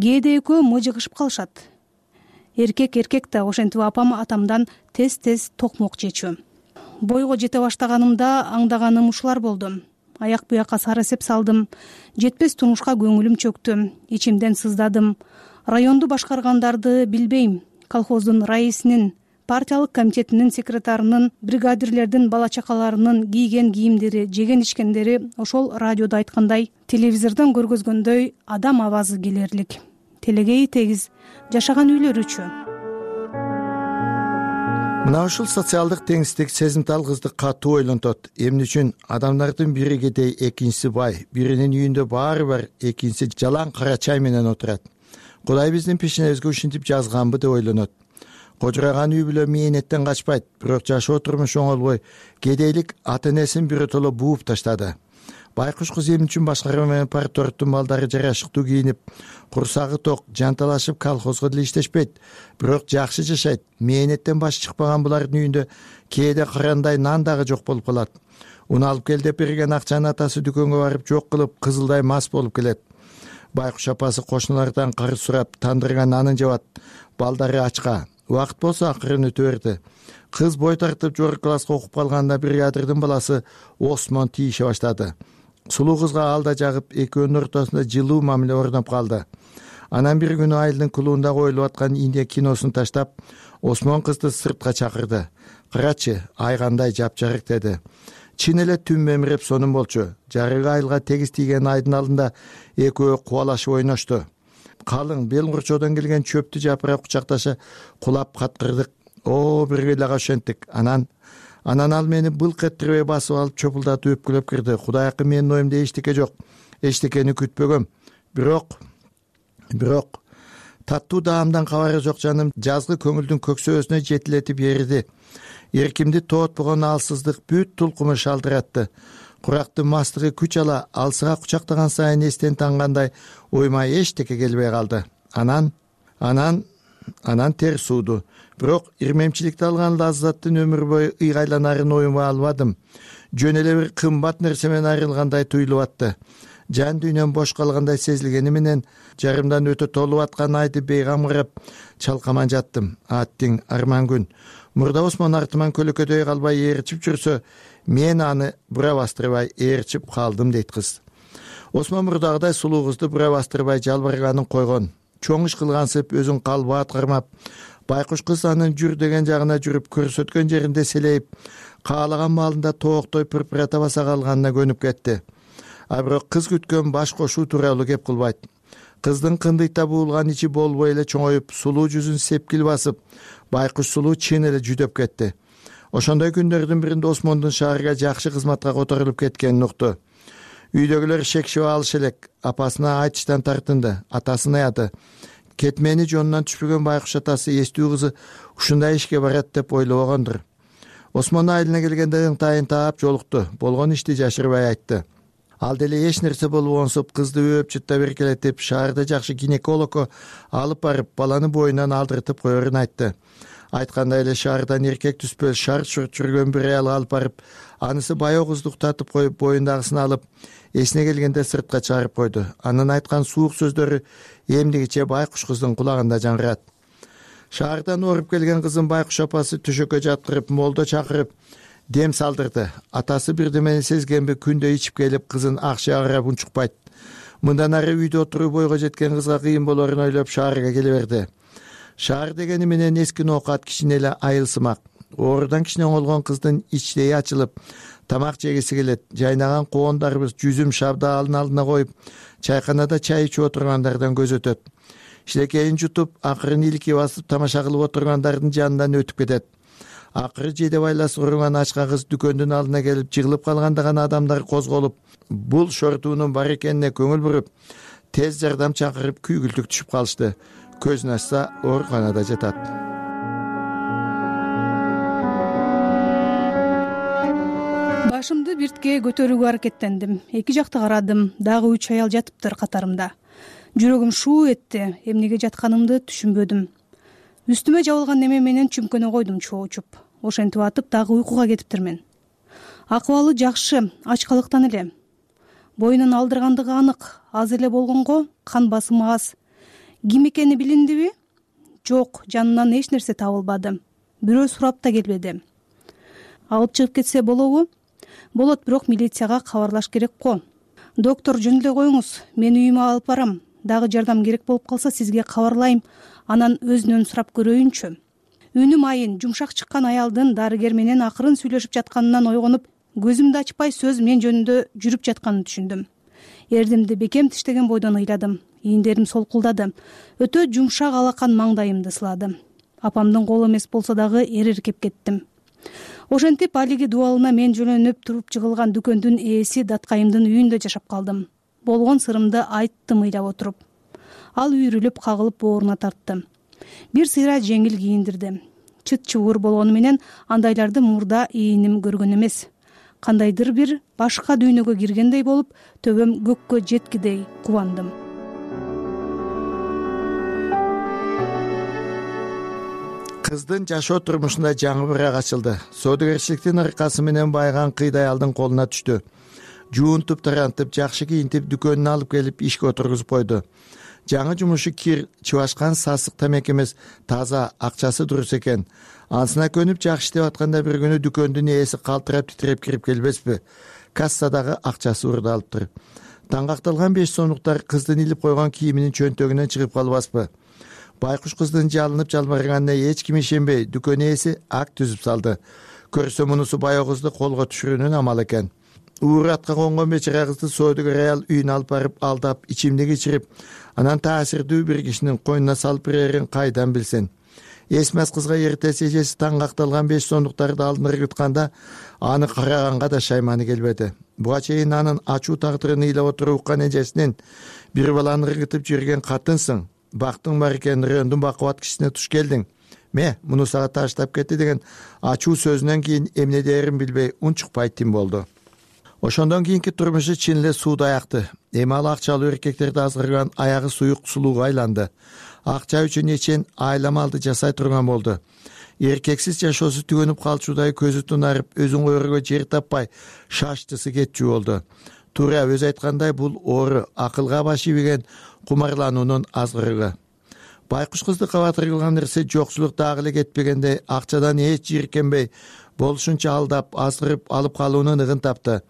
Speaker 10: Кээде экөө мыжыгышып калышат. Эркек эркек да, ошентип апам атамдан тез-тез токмок жечү. Бойго жете баштаганымда аңдаганым ушулар болду. Аяк буякка сары эсеп салдым. Жетпес турмушка көңүлүм чөктү. Ичимден сыздадым. Районду башкаргандарды билбейм. Колхоздун раисинин, партиялык комитетинин секретарынын, бригадирлердин бала-чакаларынын кийген кийимдери, жеген ичкендери ошол радиодо айткандай, телевизордон көргөзгөндөй адам абазы келерлик. Телегей тегиз, жашаган үйлөрүчү.
Speaker 9: Мына ушул социалдык теңсиздик сезимтал кызды катуу ойлонтот. Эмне үчүн адамдардын бири кедей, экинчиси бай, биринин үйүндө баары бар, экинчиси жалаң кара чай менен отурат. Кудай биздин пешенебизге ушинтип жазганбы деп ойлонот. Кожураган үй бүлө мээнеттен качпайт, бирок жашоо турмуш оңолбой, кедейлик ата энесин биротоло бууп таштады. Байкуш кыз эмне үчүн башкарма менен парторгдун балдары жарашыктуу кийинип, курсагы ток, жанталашып колхозго деле иштешпейт, бирок жакшы жашайт. Мээнеттен баш чыкпаган булардын үйүндө кээде карандай нан дагы жок болуп калат. Уну алып кел деп берген акчаны атасы дүкөнгө барып жок кылып, кызылдай мас болуп келет. Байкуш апасы кошуналардан карыз сурап, тандырган нанын жабат. Балдары ачка. Убакыт болсо акырын өтө берди. Кыз бой тартып жогорку класска окуп калганда бригадирдин баласы Осмон тийише баштады. Сулуу кызга ал да жагып, экөөнүн ортосунда жылуу мамиле орноп калды. Анан бир күнү айылдын клубунда коюлуп аткан Индия киносун таштап, Осмон кызды сыртка чакырды. Карачы, ай кандай жапжарык деди. Чын эле түн мемиреп сонун болчу. Жарыгы айылга тегиз тийген айдын алдында экөө кубалашып ойношту. Калың бел курчоодон келген чөптү жапырап кучакташа кулап каткырдык. О, бир эле ошентик. Анан Анан ал мени былк эттирбей басып алып чопулдатып өпкүлөп кирди. Кудайкы менин оюмда эчтеке жок. Эчтекени күтпөгөм. Бирок бирок таттуу даамдан кабары жок жаным жазгы көңүлдүн көксөөсүнө жетилетип эриди. Эркимди тоотпогон алсыздык бүт тулкуму шалдыратты. Курактын мастыгы күч ала алсыга кучактаган сайын эстен тангандай оюма эчтеке келбей калды. Анан анан анан тер сууду. Бирок ирмемчиликти алган лаззаттын өмүр бою ыйгайланарын оюма албадым. Жөн эле бир кымбат нерсе менен айрылгандай туюлуп атты. Жан дүйнөм бош калгандай сезилгени менен жарымдан өтө толуп аткан айды бейгам карап чалкаман жаттым. Аттиң арман күн. Мурда Осмон артыман көлөкөдөй калбай ээрчип жүрсө, мен аны бура бастырбай ээрчип калдым дейт кыз. Осмон мурдагыдай сулуу кызды бура бастырбай жалбырганын койгон. Чоң иш кылгансып өзүн калбаат кармап, байкуш кыз анын жүр деген жагына жүрүп, көрсөткөн жеринде селейип, каалаган маалында тооктой пырпырата баса калганына көнүп кетти. А бирок кыз күткөн баш кошуу тууралуу кеп кылбайт. Кыздын кындыйта буулган ичи болбой эле чоңоюп, сулуу жүзүн сепкил басып, байкуш сулуу чын эле жүдөп кетти. Ошондой күндөрдүн биринде Осмондун шаарга жакшы кызматка которулуп кеткенин укту. Үйдөгүлөр шекшип алыш элек, апасына айтыштан тартынды. Атасын аяды. Кетмени жонунан түшпөгөн байкуш атасы эстүү кызы ушундай ишке барат деп ойлобогондур. Осмон айылына келгенде ыңтайын таап жолукту. Болгон ишти жашырбай айтты. Ал деле эч нерсе болбогонсуп кызды өп чытта беркелетип, шаарда жакшы гинекологко алып барып, баланы боюнан алдыртып коерун айтты. Айткандай эле шаардан эркек түспөл шарт-шурт жүргөн бир аял алып барып, анысы баяу кызды уктатып коюп, боюндагысын алып, эсине келгенде сыртка чыгарып койду. Анын айткан суук сөздөрү эмдигиче байкуш кыздын кулагында жаңгырат. Шаардан оруп келген кызын байкуш апасы төшөккө жаткырып, молдо чакырып, дем салдырды. Атасы бирдемени сезгенби күндө ичип келип, кызын акчага карап унчукпайт. мындан ары үйдө отуруп бойго жеткен кызга кыйын болорун ойлоп шаарга келе берди. Шаар дегени менен эски ноокат кичине эле айылсымак. Оорудан кичине оңолгон кыздын ичтеги ачылып, тамак жегиси келет. Жайнаган коондарыбыз жүзүм шабдаалын алдына коюп, чайканада чай ичип отургандардан көз өтөт. Шилекейин жутуп, акырын илки басып тамаша кылып отургандардын жанынан өтүп кетет. Акыры жеде байлас уруңан ачка кыз дүкөндүн алдына келип, жыгылып калганда гана адамдар козголуп, бул шортуунун бар экенине көңүл буруп, тез жардам чакырып күйгүлтүк түшүп калышты. Көзүн ачса, ооруканада жатат.
Speaker 10: Башымды биртке көтөрүүгө аракеттендим. Эки жакты карадым. Дагы үч аял жатыптыр катарымда. Жүрөгүм шуу этти. Эмнеге жатканымды түшүнбөдүм. Үстүмө жабылган неме менен чүмкөнө койдум чоочуп. Ошентип атып дагы уйкуга кетиптирмин. Акыбалы жакшы, ачкалыктан эле. Боюнун алдыргандыгы анык. Аз эле болгонго кан басымы аз. Ким экени билиндиби? Жок, жанынан эч нерсе табылбады. Бирөө сурап да келбеди. Алып чыгып кетсе болобу? Болот, бирок милицияга кабарлаш керек го. Доктор, жөн эле коюңуз, мен үйүмө алып барам. Дагы жардам керек болуп калса сизге кабарлайм. Анан өзүнөн сурап көрөйүнчү. Үнүм айын, жумшак чыккан аялдын дарыгер менен акырын сүйлөшүп жатканынан ойгонуп, көзүмдү ачпай сөз мен жөнүндө жүрүп жатканын түшүндүм. Эрдимди бекем тиштеген бойдон ыйладым. Ийиндерим солкулдады. Өтө жумшак алакан маңдайымды сылады. Апамдын колу эмес болсо дагы эриркеп кеттим. Ошентип алиги дубалына мен жөнөнүп туруп жыгылган дүкөндүн ээси даткайымдын үйүндө жашап калдым. Болгон сырымды айттым ыйлап отуруп. Ал үйрүлүп кагылып бооруна тартты. Бир сыйра жеңил кийиндирди. Чыт чыбыр болгону менен андайларды мурда ийиним көргөн эмес. Кандайдыр бир башка дүйнөгө киргендей болуп, төбөм көккө жеткидей кубандым.
Speaker 9: Кыздын жашоо турмушунда жаңы бирак ачылды. Соодагерчиликтин аркасы менен байыган кыйдай аялдын колуна түштү. Жуунтуп, тарантып, жакшы кийинтип, дүкөнүнө алып келип ишке отургузуп койду. Жаңы жумушу кир, чыбашкан сасык тамек эмес, таза, акчасы дурус экен. Анысына көнүп жакшы иштеп атканда бир күнү дүкөндүн ээси калтырап титиреп кирип келбеспи? Кассадагы акчасы урдалыптыр. Таңгакталган беш сомдуктар кыздын илип койгон кийиминин чөнтөгүнөн чыгып калбаспы? Байкуш кыздын жалынып жалбарганына эч ким ишенбей, дүкөн ээси ак түзүп салды. Көрсө мунусу баягы кызды колго түшүрүүнүн амалы экен. Ууру атка конгон бечара кызды соодагер аял үйүнө алып барып алдап, ичимдик ичирип, анан таасирдүү бир кишинин койнуна салып берерин кайдан билсин? Эсмес кызга эртеси эжеси таңгакталган беш сомдуктарды алдына ыргытканда, аны караганга да шайманы келбеди. Буга чейин анын ачуу тагдырын ыйлап отуруп уккан эжесинин бир баланы ыргытып жүргөн катынсың, бактың бар экен, райондун бакубат кишисине туш келдиң. Ме, муну сага таштап кетти деген ачуу сөзүнөн кийин эмне дээрин билбей унчукпай тим болду. Ошондон кийинки турмушу чын эле суудай акты. Эми ал акчалуу эркектерди азгырган аягы суюк сулууга айланды. Акча үчүн эчен айламалды жасай турган болду. Эркексиз жашоосу түгөнүп калчудай көзү тунарып, өзүн койорго жер таппай шаштысы кетчү болду. Туура өзү айткандай, бул оору, акылга баш ийбеген кумарлануунун азгырыгы. Байкуш кызды кабатыр кылган нерсе жокчулук дагы эле кетпегендей, акчадан эч жийиркенбей, болушунча алдап, азгырып алып калуунун ыгын тапты.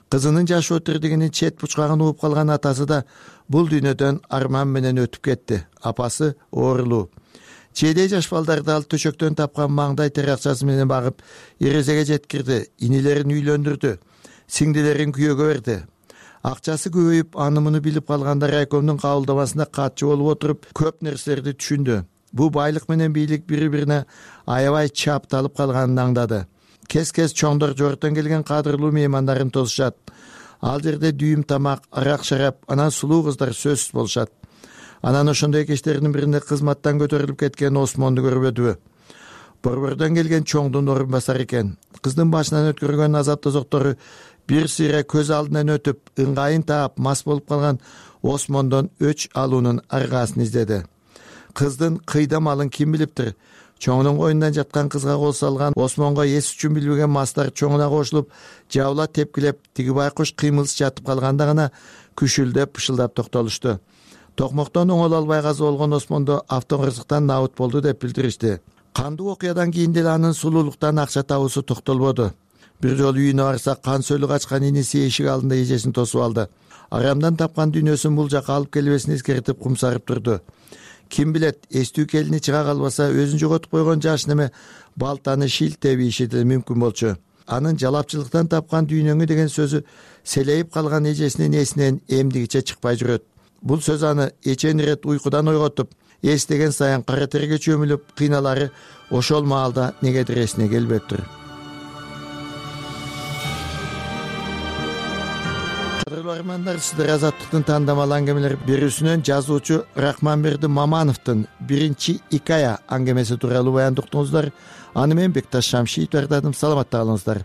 Speaker 9: Кызынын жашоо тирдигинин чет бучкагын угуп калган атасы да бул дүйнөдөн арман менен өтүп кетти. Апасы оорулуу. Чейдей жаш балдарды ал төшөктөн тапкан маңдай тер акчасы менен багып, эрезеге жеткирди, инилерин үйлөндүрдү, сиңдилерин күйөөгө берди. Акчасы көбөйүп, аны муну билип калганда райкомдун кабылдамасында катчы болуп отуруп, көп нерселерди түшүндү. Бул байлык менен бийлик бири-бирине аябай чапталып калганын аңдады. Кез-кез чоңдор жорттон келген кадырлуу меймандарын тосушат. Ал жерде дүйүм тамак, арак шарап, анан сулуу кыздар сөзсүз болушат. Анан ошондой кечтердин биринде кызматтан көтөрүлүп кеткен Осмонду көрбөдүбү? Борбордон келген чоңдун орун басары экен. Кыздын башынан өткөргөн азап тозоктору бир сыйра көз алдынан өтүп, ыңгайын таап, мас болуп калган Осмондон өч алуунун аргасын издеди. Кыздын кыйда малын ким билиптир? Чоңунун койнунан жаткан кызга кол салган Осмонго эс үчүн билбеген мастар чоңуна кошулуп, жабыла тепкилеп, тиги байкуш кыймылсыз жатып калганда гана күшүлдөп, пышылдап токтолушту. Токмоктон оңоло албай каза болгон Осмондо автоңгырсыктан набыт болду деп билдиришти. Кандуу окуядан кийин деле анын сулуулуктан акча табуусу токтолбоду. Бир жолу үйүнө барса, кан сөлү качкан иниси эшик алдында эжесин тосуп алды. арамдан тапкан дүйнөсүн бул жака алып келбесин эскертип кумсарып турду. Ким билет, эстүү келини чыга калбаса өзүн жоготуп койгон жаш неме балтаны шилтеп ийиши да мүмкүн болчу. Анын жалапчылыктан тапкан дүйнөңү деген сөзү селейип калган эжесинин эсинен эмдигиче чыкпай жүрөт. Бул сөз аны эчен ирет уйкудан ойготуп, эстеген сайын кара терге чөмүлүп кыйналары ошол маалда негедир эсине келбептир. Кадырлуу армандар, сиздер Азаттыктын тандамал аңгемелер берүүсүнөн жазуучу Рахманберди Мамановдун биринчи икая аңгемеси тууралуу баянды уктуңуздар. Аны мен Бекташ Шамшиев даярдадым. Саламатта калыңыздар.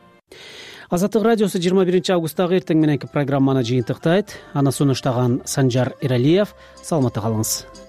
Speaker 2: Азаттык радиосу жыйырма биринчи августтагы эртең мененки программаны жыйынтыктайт. Аны сунуштаган Санжар Иралиев. Саламатта калыңыз.